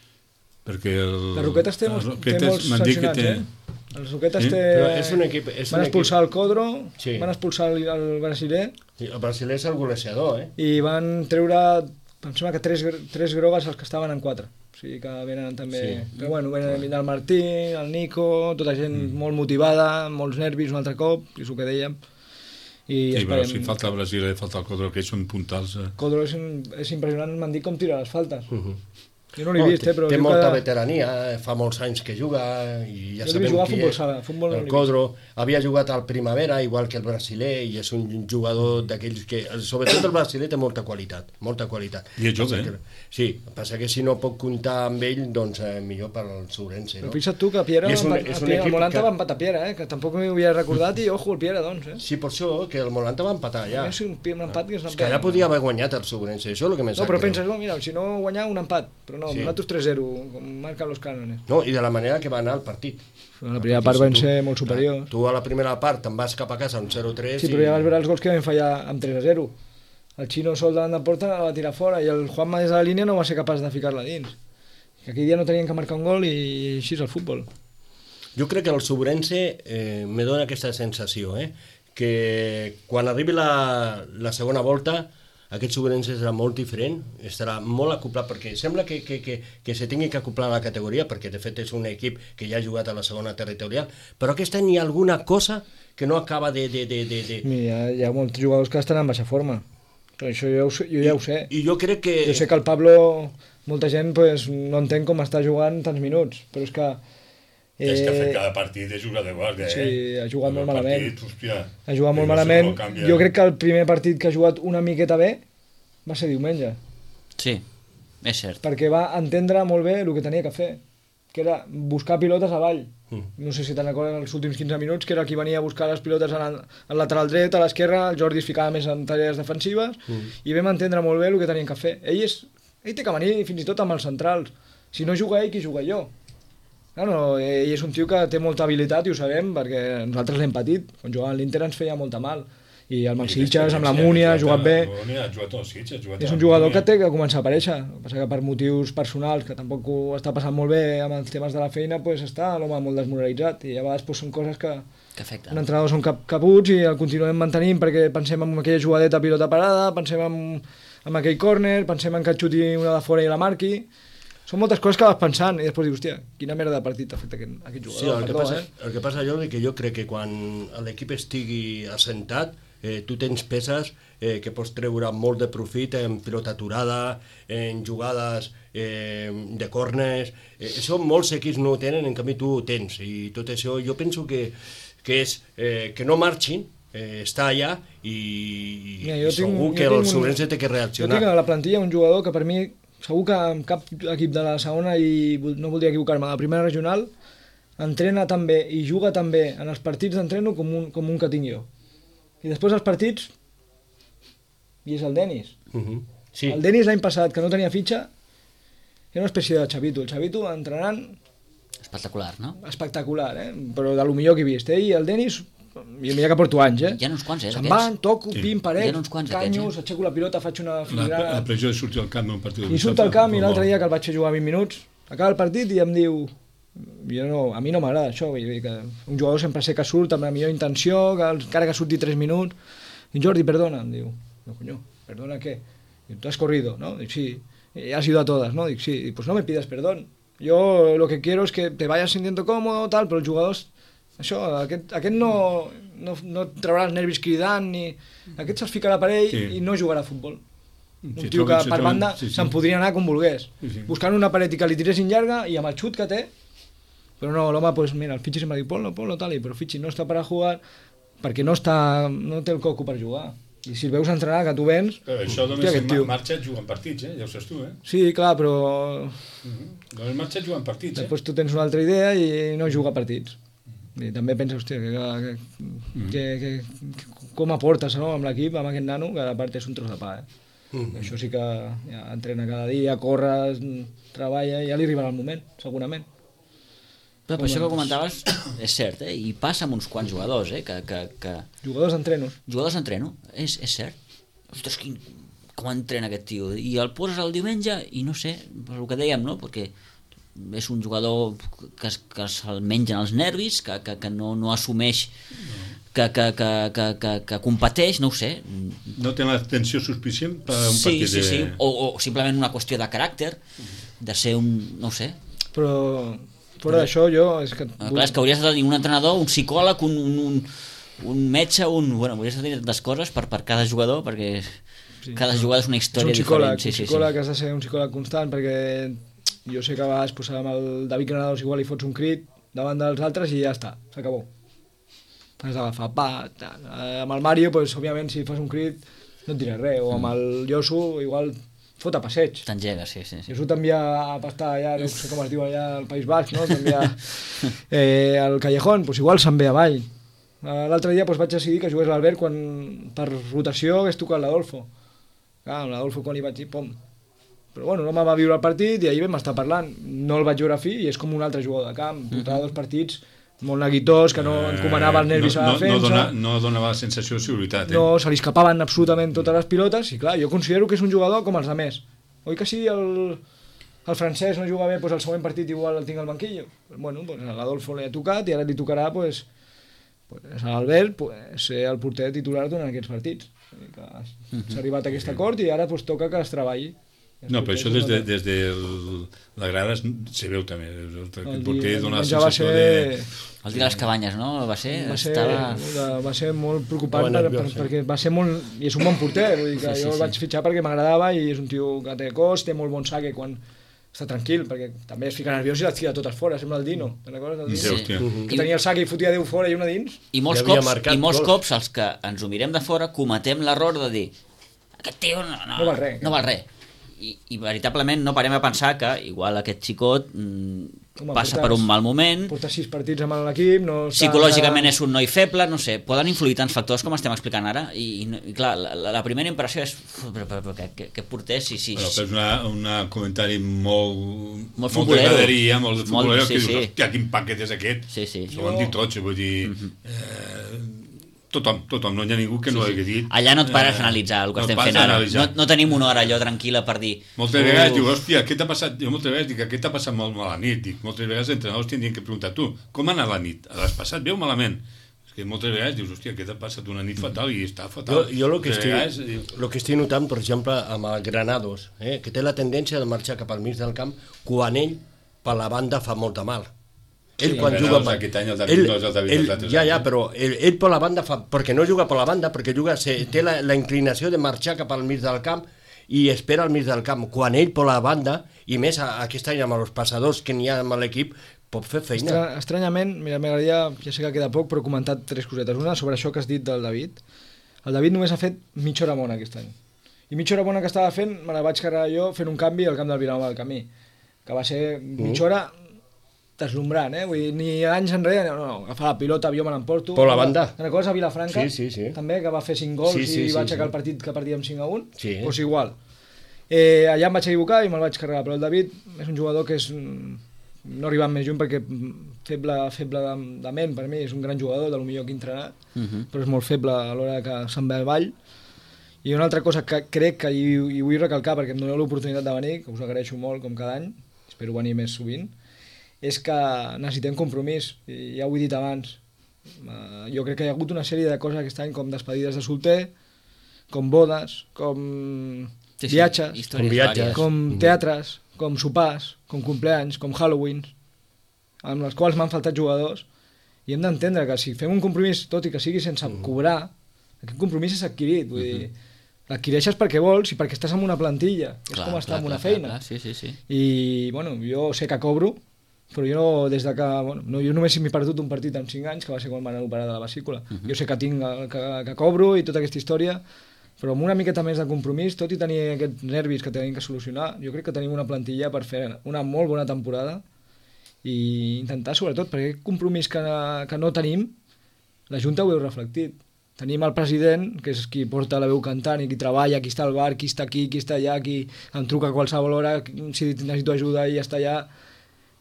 perquè... El, Les Roquetes té, molts, les té Roquetes molts m'han dit que sancionats, té... eh? Les Roquetes Sí? té... Però és un equip... És Van un expulsar el Codro, Sí. van expulsar el, el brasiler equip... El brasiler és el golejador, eh? i van treure, em sembla que tres, gr- tres grogues els que estaven en quatre. O sigui que venen també... Sí. Però bueno, venen el Martí, el Nico, tota gent mm. molt motivada, amb molts nervis un altre cop, és el que dèiem. I Sí, però esperem... si falta el Brasil i falta el Codro, que són puntals... Eh? Codro és, és impressionant, m'han dit com tira les faltes. Uh -huh. Jo no l'he vist, eh, però... Té diu molta que... veterania, fa molts anys que juga, i ja Jo l'he sabem vist jugar a qui futbol és. sala, futbol no l'he El vist. Codro havia jugat al Primavera, igual que el brasiler, i és un jugador d'aquells que... Sobretot el brasiler té molta qualitat, molta qualitat. I és jove, Passa eh? que- Sí, passa que si no pot comptar amb ell, doncs eh, millor per al Sourense, Però no? fixa't tu que Piera, I és un- va- és a un Piera, equip el Molanta que- va empatar Piera, eh, que tampoc m'ho havia recordat, i ojo, el Piera, doncs, eh. Sí, per això, que el Molanta va empatar allà. És un, un empat que és un És que allà podia haver guanyat el Sourense, això és el que més No, sap però greu. penses, no, mira, si no guanyar un empat, però no, Sí. sí. nosaltres tres zero, com marquen los cànones. No, i de la manera que va anar el partit. La primera part van ser molt Clar, superiors. Tu a la primera part te'n vas cap a casa amb zero tres Sí, però ja vas veure els gols que vam fallar amb tres a zero. El Xino sol davant de porta la va tirar fora i el Juanma des de la línia no va ser capaç de ficar-la dins. Que aquell dia no tenien que marcar un gol i així és el futbol. Jo crec que el Sourense eh, me dona aquesta sensació, eh? Que quan arribi la, la segona volta aquest Sourense serà molt diferent, estarà molt acoplat, perquè sembla que, que, que, que se tingui que acoplar a la categoria, perquè de fet és un equip que ja ha jugat a la segona territorial, però aquest any hi ha alguna cosa que no acaba de... de, de, de, de... Mira, hi ha molts jugadors que estan en baixa forma. Però això jo, ho sé- jo ja ho sé. I jo crec que... Jo sé que el Pablo, molta gent pues, no entén com està jugant tants minuts, però és que... Eh... És que ha fet cada partit de jugar de guàrdia, sí, eh? ha jugat molt malament. Partit, hòstia, Ha jugat molt no sé malament. com canvia. Jo crec que el primer partit que ha jugat una miqueta bé va ser diumenge, Sí, és cert. perquè va entendre molt bé el que tenia que fer, que era buscar pilotes avall. Mm. No sé si te'n recordes els últims quinze minuts, que era qui venia a buscar les pilotes al, al lateral dret, a l'esquerra, el Jordi es ficava més en tarees defensives, Mm. i vam entendre molt bé el que tenien que fer. Ell, és, ell té que venir fins i tot amb els centrals. Si no juga ell, qui juga jo? No, no, ell és un tio que té molta habilitat i ho sabem, perquè nosaltres l'hem patit. Quan jugava a l'Inter ens feia molta mal. I el Mansitges, amb la Múnia, ha jugat bé. La Múnia ha jugat als Sitges, ha jugat És a un la jugador Múnia. que té que començar a aparèixer. El que passa que per motius personals, que tampoc ho està passant molt bé amb els temes de la feina, pues està l'home molt desmoralitzat. I a vegades pues, són coses que Que afecta. un entrenador són cap, caputs i el continuem mantenint perquè pensem en aquella jugadeta pilota parada, pensem en, en aquell córner, pensem en que et xuti una de fora i la marqui. Són moltes coses que vas pensant i després dius, hòstia, quina merda de partit ha fet aquest, aquest jugador. Sí, el que, Perdó, passa, eh? el que passa, Jordi, que jo crec que quan l'equip estigui assentat, eh, tu tens peces eh, que pots treure molt de profit en pilota aturada, en jugades eh, de corners. Eh, això molts equips no ho tenen, en canvi tu ho tens. I tot això jo penso que, que és eh, que no marxin, eh, està allà i, Mira, i jo tinc- segur jo que tinc el un- Sourense té que Jo reaccionar. tinc a la plantilla un jugador que per mi, segur que en cap equip de la segona, i vol- no voldria equivocar-me, de la primera regional, entrena tan bé i juga tan bé en els partits d'entreno com un, com un que tinc jo. I després els partits, i és el Denis. Uh -huh. Sí. El Denis l'any passat, que no tenia fitxa, era una espècie de Xavito. El Xavito entrenant Espectacular, no? espectacular, eh? Però de lo millor que he vist. Ell i el Denis, i mira que porto anys, eh? Hi ha uns quants, eh, Se'n d'aquests. van, toco, Sí. pim, Hi paret, ha uns quants canyos, d'aquests, aixeco la pilota, faig una La, filigrana... la pressió de sortir al camp d'un partit de I surt al camp i l'altre dia que el vaig fer jugar vint minuts, acaba el partit i em diu jo no, a mi no m'agrada això, vull dir que un jugador sempre sé que surt amb la millor intenció, que encara que surti tres minuts, i Jordi, perdona, em diu, no coño, perdona què? Diu, tú has corrido, ¿no? Dic, sí, y has ido a todas, ¿no? Dic, sí, Dic, pues no me pidas perdón, yo lo que quiero es que te vayas sintiendo cómodo, tal, però els jugadors, això, aquest, aquest no, no, no et traurà els nervis cridant, ni... aquest se'ls ficarà per ell Sí. i no jugarà a futbol. Un Si tio troben- que si per troben- banda sí, sí. se'n podria anar com volgués, Sí, sí. buscant una paret i que li tiressin llarga i amb el xut que té, però no, l'home, pues mira, el Fitxi sempre diu, ponlo, ponlo, tal, i però Fitxi no està per a jugar perquè no, està, no té el coco per jugar. I si el veus entrenar, que tu vens... Però això hòstia, només aquest en tio. ma- marxa jugant partits, eh? Ja ho saps tu, eh? Sí, clar, però Uh -huh. Només marxa jugant partits, eh? després tu tens una altra idea i no juga partits. I també pensa, hòstia, que, que, Mm-hmm. que, que, que com aportes, no?, amb l'equip, amb aquest nano, que a part és un tros de pa, eh? Mm. Això sí que ja, entrena cada dia, corre, treballa, i ja li arribarà el moment, segurament. Però per això que comentaves és cert, eh? I passa amb uns quants jugadors, eh? Que, que, que... Jugadors d'entrenos. Jugadors d'entreno, és, és cert. Ostres, quin... com entrena aquest tio. I el poses el diumenge i no sé, per el que dèiem, no? Perquè és un jugador que, es- que se'l mengen els nervis, que, que, que no, no assumeix, que, que, que, que, que, que competeix, no ho sé. No té l'atenció suficient per a un Sí, partit sí, de... sí. O, o simplement una qüestió de caràcter, de ser un... no ho sé. Però fora d'això jo... És que... Ah, clar, és que hauries de tenir un entrenador, un psicòleg, un, un, un, un metge, un... Bueno, hauries de tenir tantes coses per, per cada jugador, perquè Sí, cada clar. jugada és una És història un psicòleg, diferent. Sí, un sí, psicòleg sí. has de ser un psicòleg constant perquè jo sé que a vegades pues, amb el David Granados igual li fots un crit davant dels altres i ja està, s'acabó. Has d'agafar, pa, tal. Amb el Mario, pues, òbviament, si fas un crit no et diré res, o amb el Josu igual fot a passeig. T'engega, sí, sí. sí. Josu t'envia a pastar allà, no sé com es diu allà al País Basc, no? T'envia eh, al Callejón, pues igual se'n ve avall. L'altre dia pues, vaig decidir que jugués l'Albert quan per rotació hagués tocat l'Adolfo. Clar, amb l'Adolfo quan li vaig dir, pom. Però bueno, no me va viure el partit i ahir vam estar parlant. No el vaig veure a fi i és com un altre jugador de camp. Portava dos partits molt neguitós, que no encomanava els nervis no, a la defensa. No, dona, no donava la sensació de seguretat. Eh? No, se li escapaven absolutament totes les pilotes i clar, jo considero que és un jugador com els altres. Oi que sí, el, el francès no juga bé, doncs el següent partit igual el tinc al banquillo. Bueno, pues l'Adolfo li ha tocat i ara li tocarà pues, pues, a l'Albert pues, ser el porter titular durant aquests partits. S'ha arribat a aquest acord i ara pues, toca que es treballi. No, però això des de, des de la grada se veu també. El, el porter dona la sensació ser... de... El dia de les cabanyes, no? Va ser... Va ser, estava... va ser molt preocupant no, per, nerviós, per, sí. perquè va ser molt... I és un bon porter, vull dir que sí, sí, jo el sí. vaig fitxar perquè m'agradava i és un tio que té cos, té molt bon saque quan està tranquil, perquè també es fica nerviós i les tira totes fora, sembla el Dino. Te'n recordes del Dino? Sí, Sí. Que tenia el saque i fotia deu fora i una dins. I molts, I havia cops, marcat i molts gols. cops els que ens ho mirem de fora cometem l'error de dir aquest tio no, no, No val res. No val res. I, I veritablement no parem a pensar que igual aquest xicot mm, Home, passa portes- per un mal moment, Porta sis partits amb l'equip, no està... psicològicament és un noi feble, no sé, poden influir tants factors com estem explicant ara i, i, no- i clar, la, la primera impressió és "Uf, però, però, però, què, què porter si, si, Però és una, una comentari molt... Molt de futbolero. graderia, molt de Molt, futbolero, sí, que sí. dius, hòstia, quin paquet és aquest? Sí, sí. Ho han dit tots, vull dir... eh, tothom, tothom, no hi ha ningú que Sí, no ho sí. hagi dit. Allà no et pares Eh, a analitzar el que no et estem pares fent a ara. analitzar. No, no tenim una hora allò tranquil·la per dir... Moltes vegades "Uf, diu, hòstia, què t'ha passat? Jo moltes vegades dic, què t'ha passat molt mal a la nit? Dic, moltes vegades els entrenadors tindrien que preguntar, tu, com ha anat la nit? L'has passat bé o malament? És que moltes vegades dius, hòstia, què t'ha passat una nit fatal i està Jo, fatal. jo lo, que Moltes estic, vegades, diu, lo que estic notant, per exemple, amb el Granados, eh, que té la tendència de marxar cap al mig del camp quan ell, per la banda, fa molta mal. Ell Sí, quan el juga... Granados aquest any, el David ell, no és el David ell, dels altres ja, anys, ja, eh? però ell, ell per la banda fa... Perquè no juga per la banda, perquè juga, se, té la, la inclinació de marxar cap al mig del camp i espera al mig del camp. Quan ell per la banda, i més a, aquest any amb els passadors que n'hi ha amb l'equip, pot fer feina. Estra estranyament, mira, m'agradaria, ja sé que queda poc, però he comentat tres cosetes. Una sobre això que has dit del David. El David només ha fet mitja hora bona aquest any. I mitja hora bona que estava fent, me la vaig carregar jo fent un canvi al camp del Vilanova del Camí, que va ser mitja hora deslumbrant, eh? Vull dir, ni anys enrere, no, no, agafar la pilota, jo me l'emporto. Per la banda. Te'n recordes a Vilafranca? Sí, sí, sí. També, que va fer cinc gols Sí, sí, i sí, va aixecar sí. el partit que partíem cinc a un? Sí. Doncs igual. Eh, allà em vaig equivocar i me'l vaig carregar, però el David és un jugador que és... no arribant més lluny perquè feble, feble de, de ment per mi, és un gran jugador, de lo millor que he entrenat, Uh -huh. però és molt feble a l'hora que se'n ve al ball. I una altra cosa que crec que hi, hi vull recalcar perquè em doneu l'oportunitat de venir, que us agraeixo molt com cada any, espero venir més sovint, és que necessitem compromís, i ja ho he dit abans. Uh, jo crec que hi ha hagut una sèrie de coses aquest any com despedides de solter, com bodes, com Sí, sí, viatges, històries Com viatges. vàries. com teatres, com sopars, com compleanys, com Halloween, amb els quals m'han faltat jugadors, i hem d'entendre que si fem un compromís, tot i que sigui sense cobrar, aquest compromís és adquirit, vull dir, l'adquireixes perquè vols i perquè estàs en una plantilla, és Clar, com estar clar, en una clar, feina. clar, sí, sí, sí. I, bueno, jo sé que cobro, però jo no, des de que, bueno, no, jo només m'he perdut un partit en cinc anys, que va ser quan m'han operat de la vesícula. Uh -huh. Jo sé que tinc, el- que, que cobro i tota aquesta història, però amb una miqueta més de compromís, tot i tenir aquests nervis que tenim que solucionar, jo crec que tenim una plantilla per fer una molt bona temporada i intentar, sobretot, perquè aquest compromís que, que no tenim, la Junta ho heu reflectit. Tenim el president, que és qui porta la veu cantant i qui treballa, qui està al bar, qui està aquí, qui està allà, qui em truca a qualsevol hora, si necessito ajuda i ja està allà.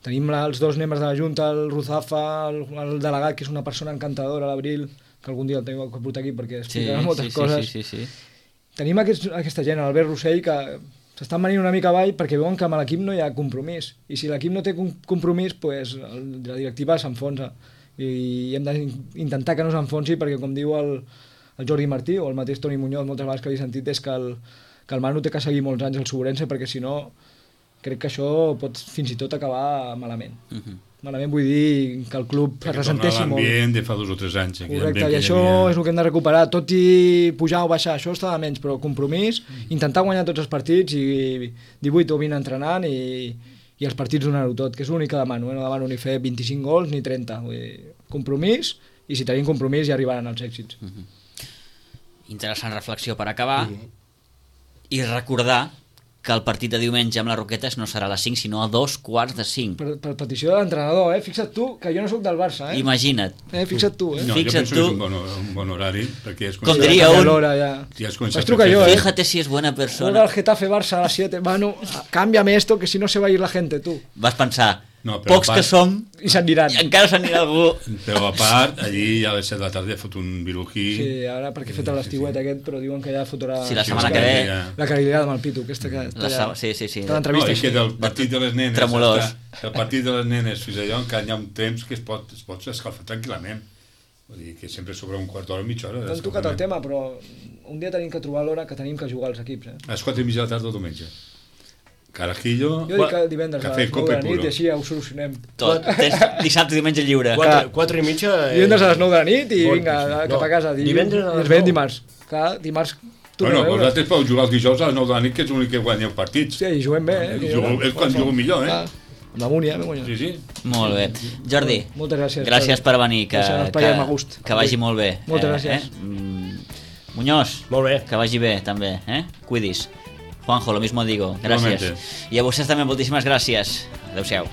Tenim la, els dos membres de la Junta, el Ruzafa, el, el delegat, que és una persona encantadora, l'Abril, que algun dia el tenim que portar aquí perquè explicarà Sí, moltes sí, sí, coses. sí, sí, sí. Tenim aquest, aquesta gent, l'Albert Rossell, que s'estan venint una mica avall perquè veuen que amb l'equip no hi ha compromís. I si l'equip no té com- compromís, pues, el, la directiva s'enfonsa. I hem d'intentar que no s'enfonsi perquè, com diu el, el Jordi Martí o el mateix Toni Muñoz, moltes vegades que l'he sentit, és que el, que el Manu té que seguir molts anys al Sobrense perquè si no crec que això pot fins i tot acabar malament. Uh -huh. Malament vull dir que el club es Perquè ressenteixi torna molt. l'ambient de fa dos o tres anys. aquell Correcte, ambient i que hi això havia. és el que hem de recuperar, tot i pujar o baixar, això està de menys, però compromís, intentar guanyar tots els partits i divuit o vint entrenant i, i els partits donar-ho tot, que és l'únic que demano, eh? No demano ni fer vint-i-cinc gols ni trenta, vull dir, compromís, i si tenim compromís ja arribaran els èxits. Mm-hmm. Interessant reflexió per acabar, mm-hmm. i recordar que el partit de diumenge amb les Roquetes no serà a les cinc, sinó a dos quarts de cinc. Per, per petició de l'entrenador, eh? Fixa't tu, que jo no sóc del Barça, eh? Imagina't. Eh, fixa't tu, eh? No, Fixa't jo penso tu. que és un bon, un bon horari, perquè és Com diria un... Ja. Ja es comença Vaig trucar jo, eh? Fíjate si és buena Juega persona. el Getafe Barça a las siete, Manu, cámbiame esto, que si no se va a ir la gente, tu. Vas pensar, No, però pocs a part- que som, I s'aniran. i encara s'anirà algú. Però a part, allí a les set de la tarda fot un virují. Sí, ara perquè he fet l'estiuet aquest, però diuen que ja fotrà... Sí, la setmana Sí, que ve... ja. La carillada amb el Pitu, aquesta que... La sa- sí, sí, sí. Tota No, l'entrevista i que així. del partit de les nenes... Tremolós. Està, el partit de les nenes fins allò encara hi ha un temps que es pot, es pot escalfar tranquil·lament. Vull dir que sempre sobre un quart d'hora o mitja hora. T'han tocat el tema, però un dia tenim que trobar l'hora que tenim que jugar als equips, eh? A les quatre i mitja de la tarda o diumenge. Carajillo... Jo dic que divendres a cafè, les nou copa de i la nit puro. i així ja ho solucionem. Tot. Tens dissabte i diumenge lliure. Quatre, quatre i mitja... Eh... Divendres a les nou de la nit i Molt, vinga, sí. cap No, a casa. Dilluns, divendres a les i ens veiem nou. dimarts. Clar, dimarts tu Bueno, no veus. vosaltres podeu jugar els dijous a les nou de la nit, que és l'únic que guanyeu partits. Sí, i juguem bé, eh? que Jugo- jo- és quan jugo millor, eh? Ah, amb la Múnia, me guanyo. Sí, sí. Molt bé. Jordi, Moltes gràcies. gràcies per venir, que, Deixem que, espai a gust. que vagi molt bé. Moltes eh, gràcies. Eh? Mm, Muñoz, Molt bé. que vagi bé també, eh? Cuidis. Juanjo, lo mismo digo. Gràcies. Igualmente. I a vostès també moltíssimes gràcies. Adéu-siau.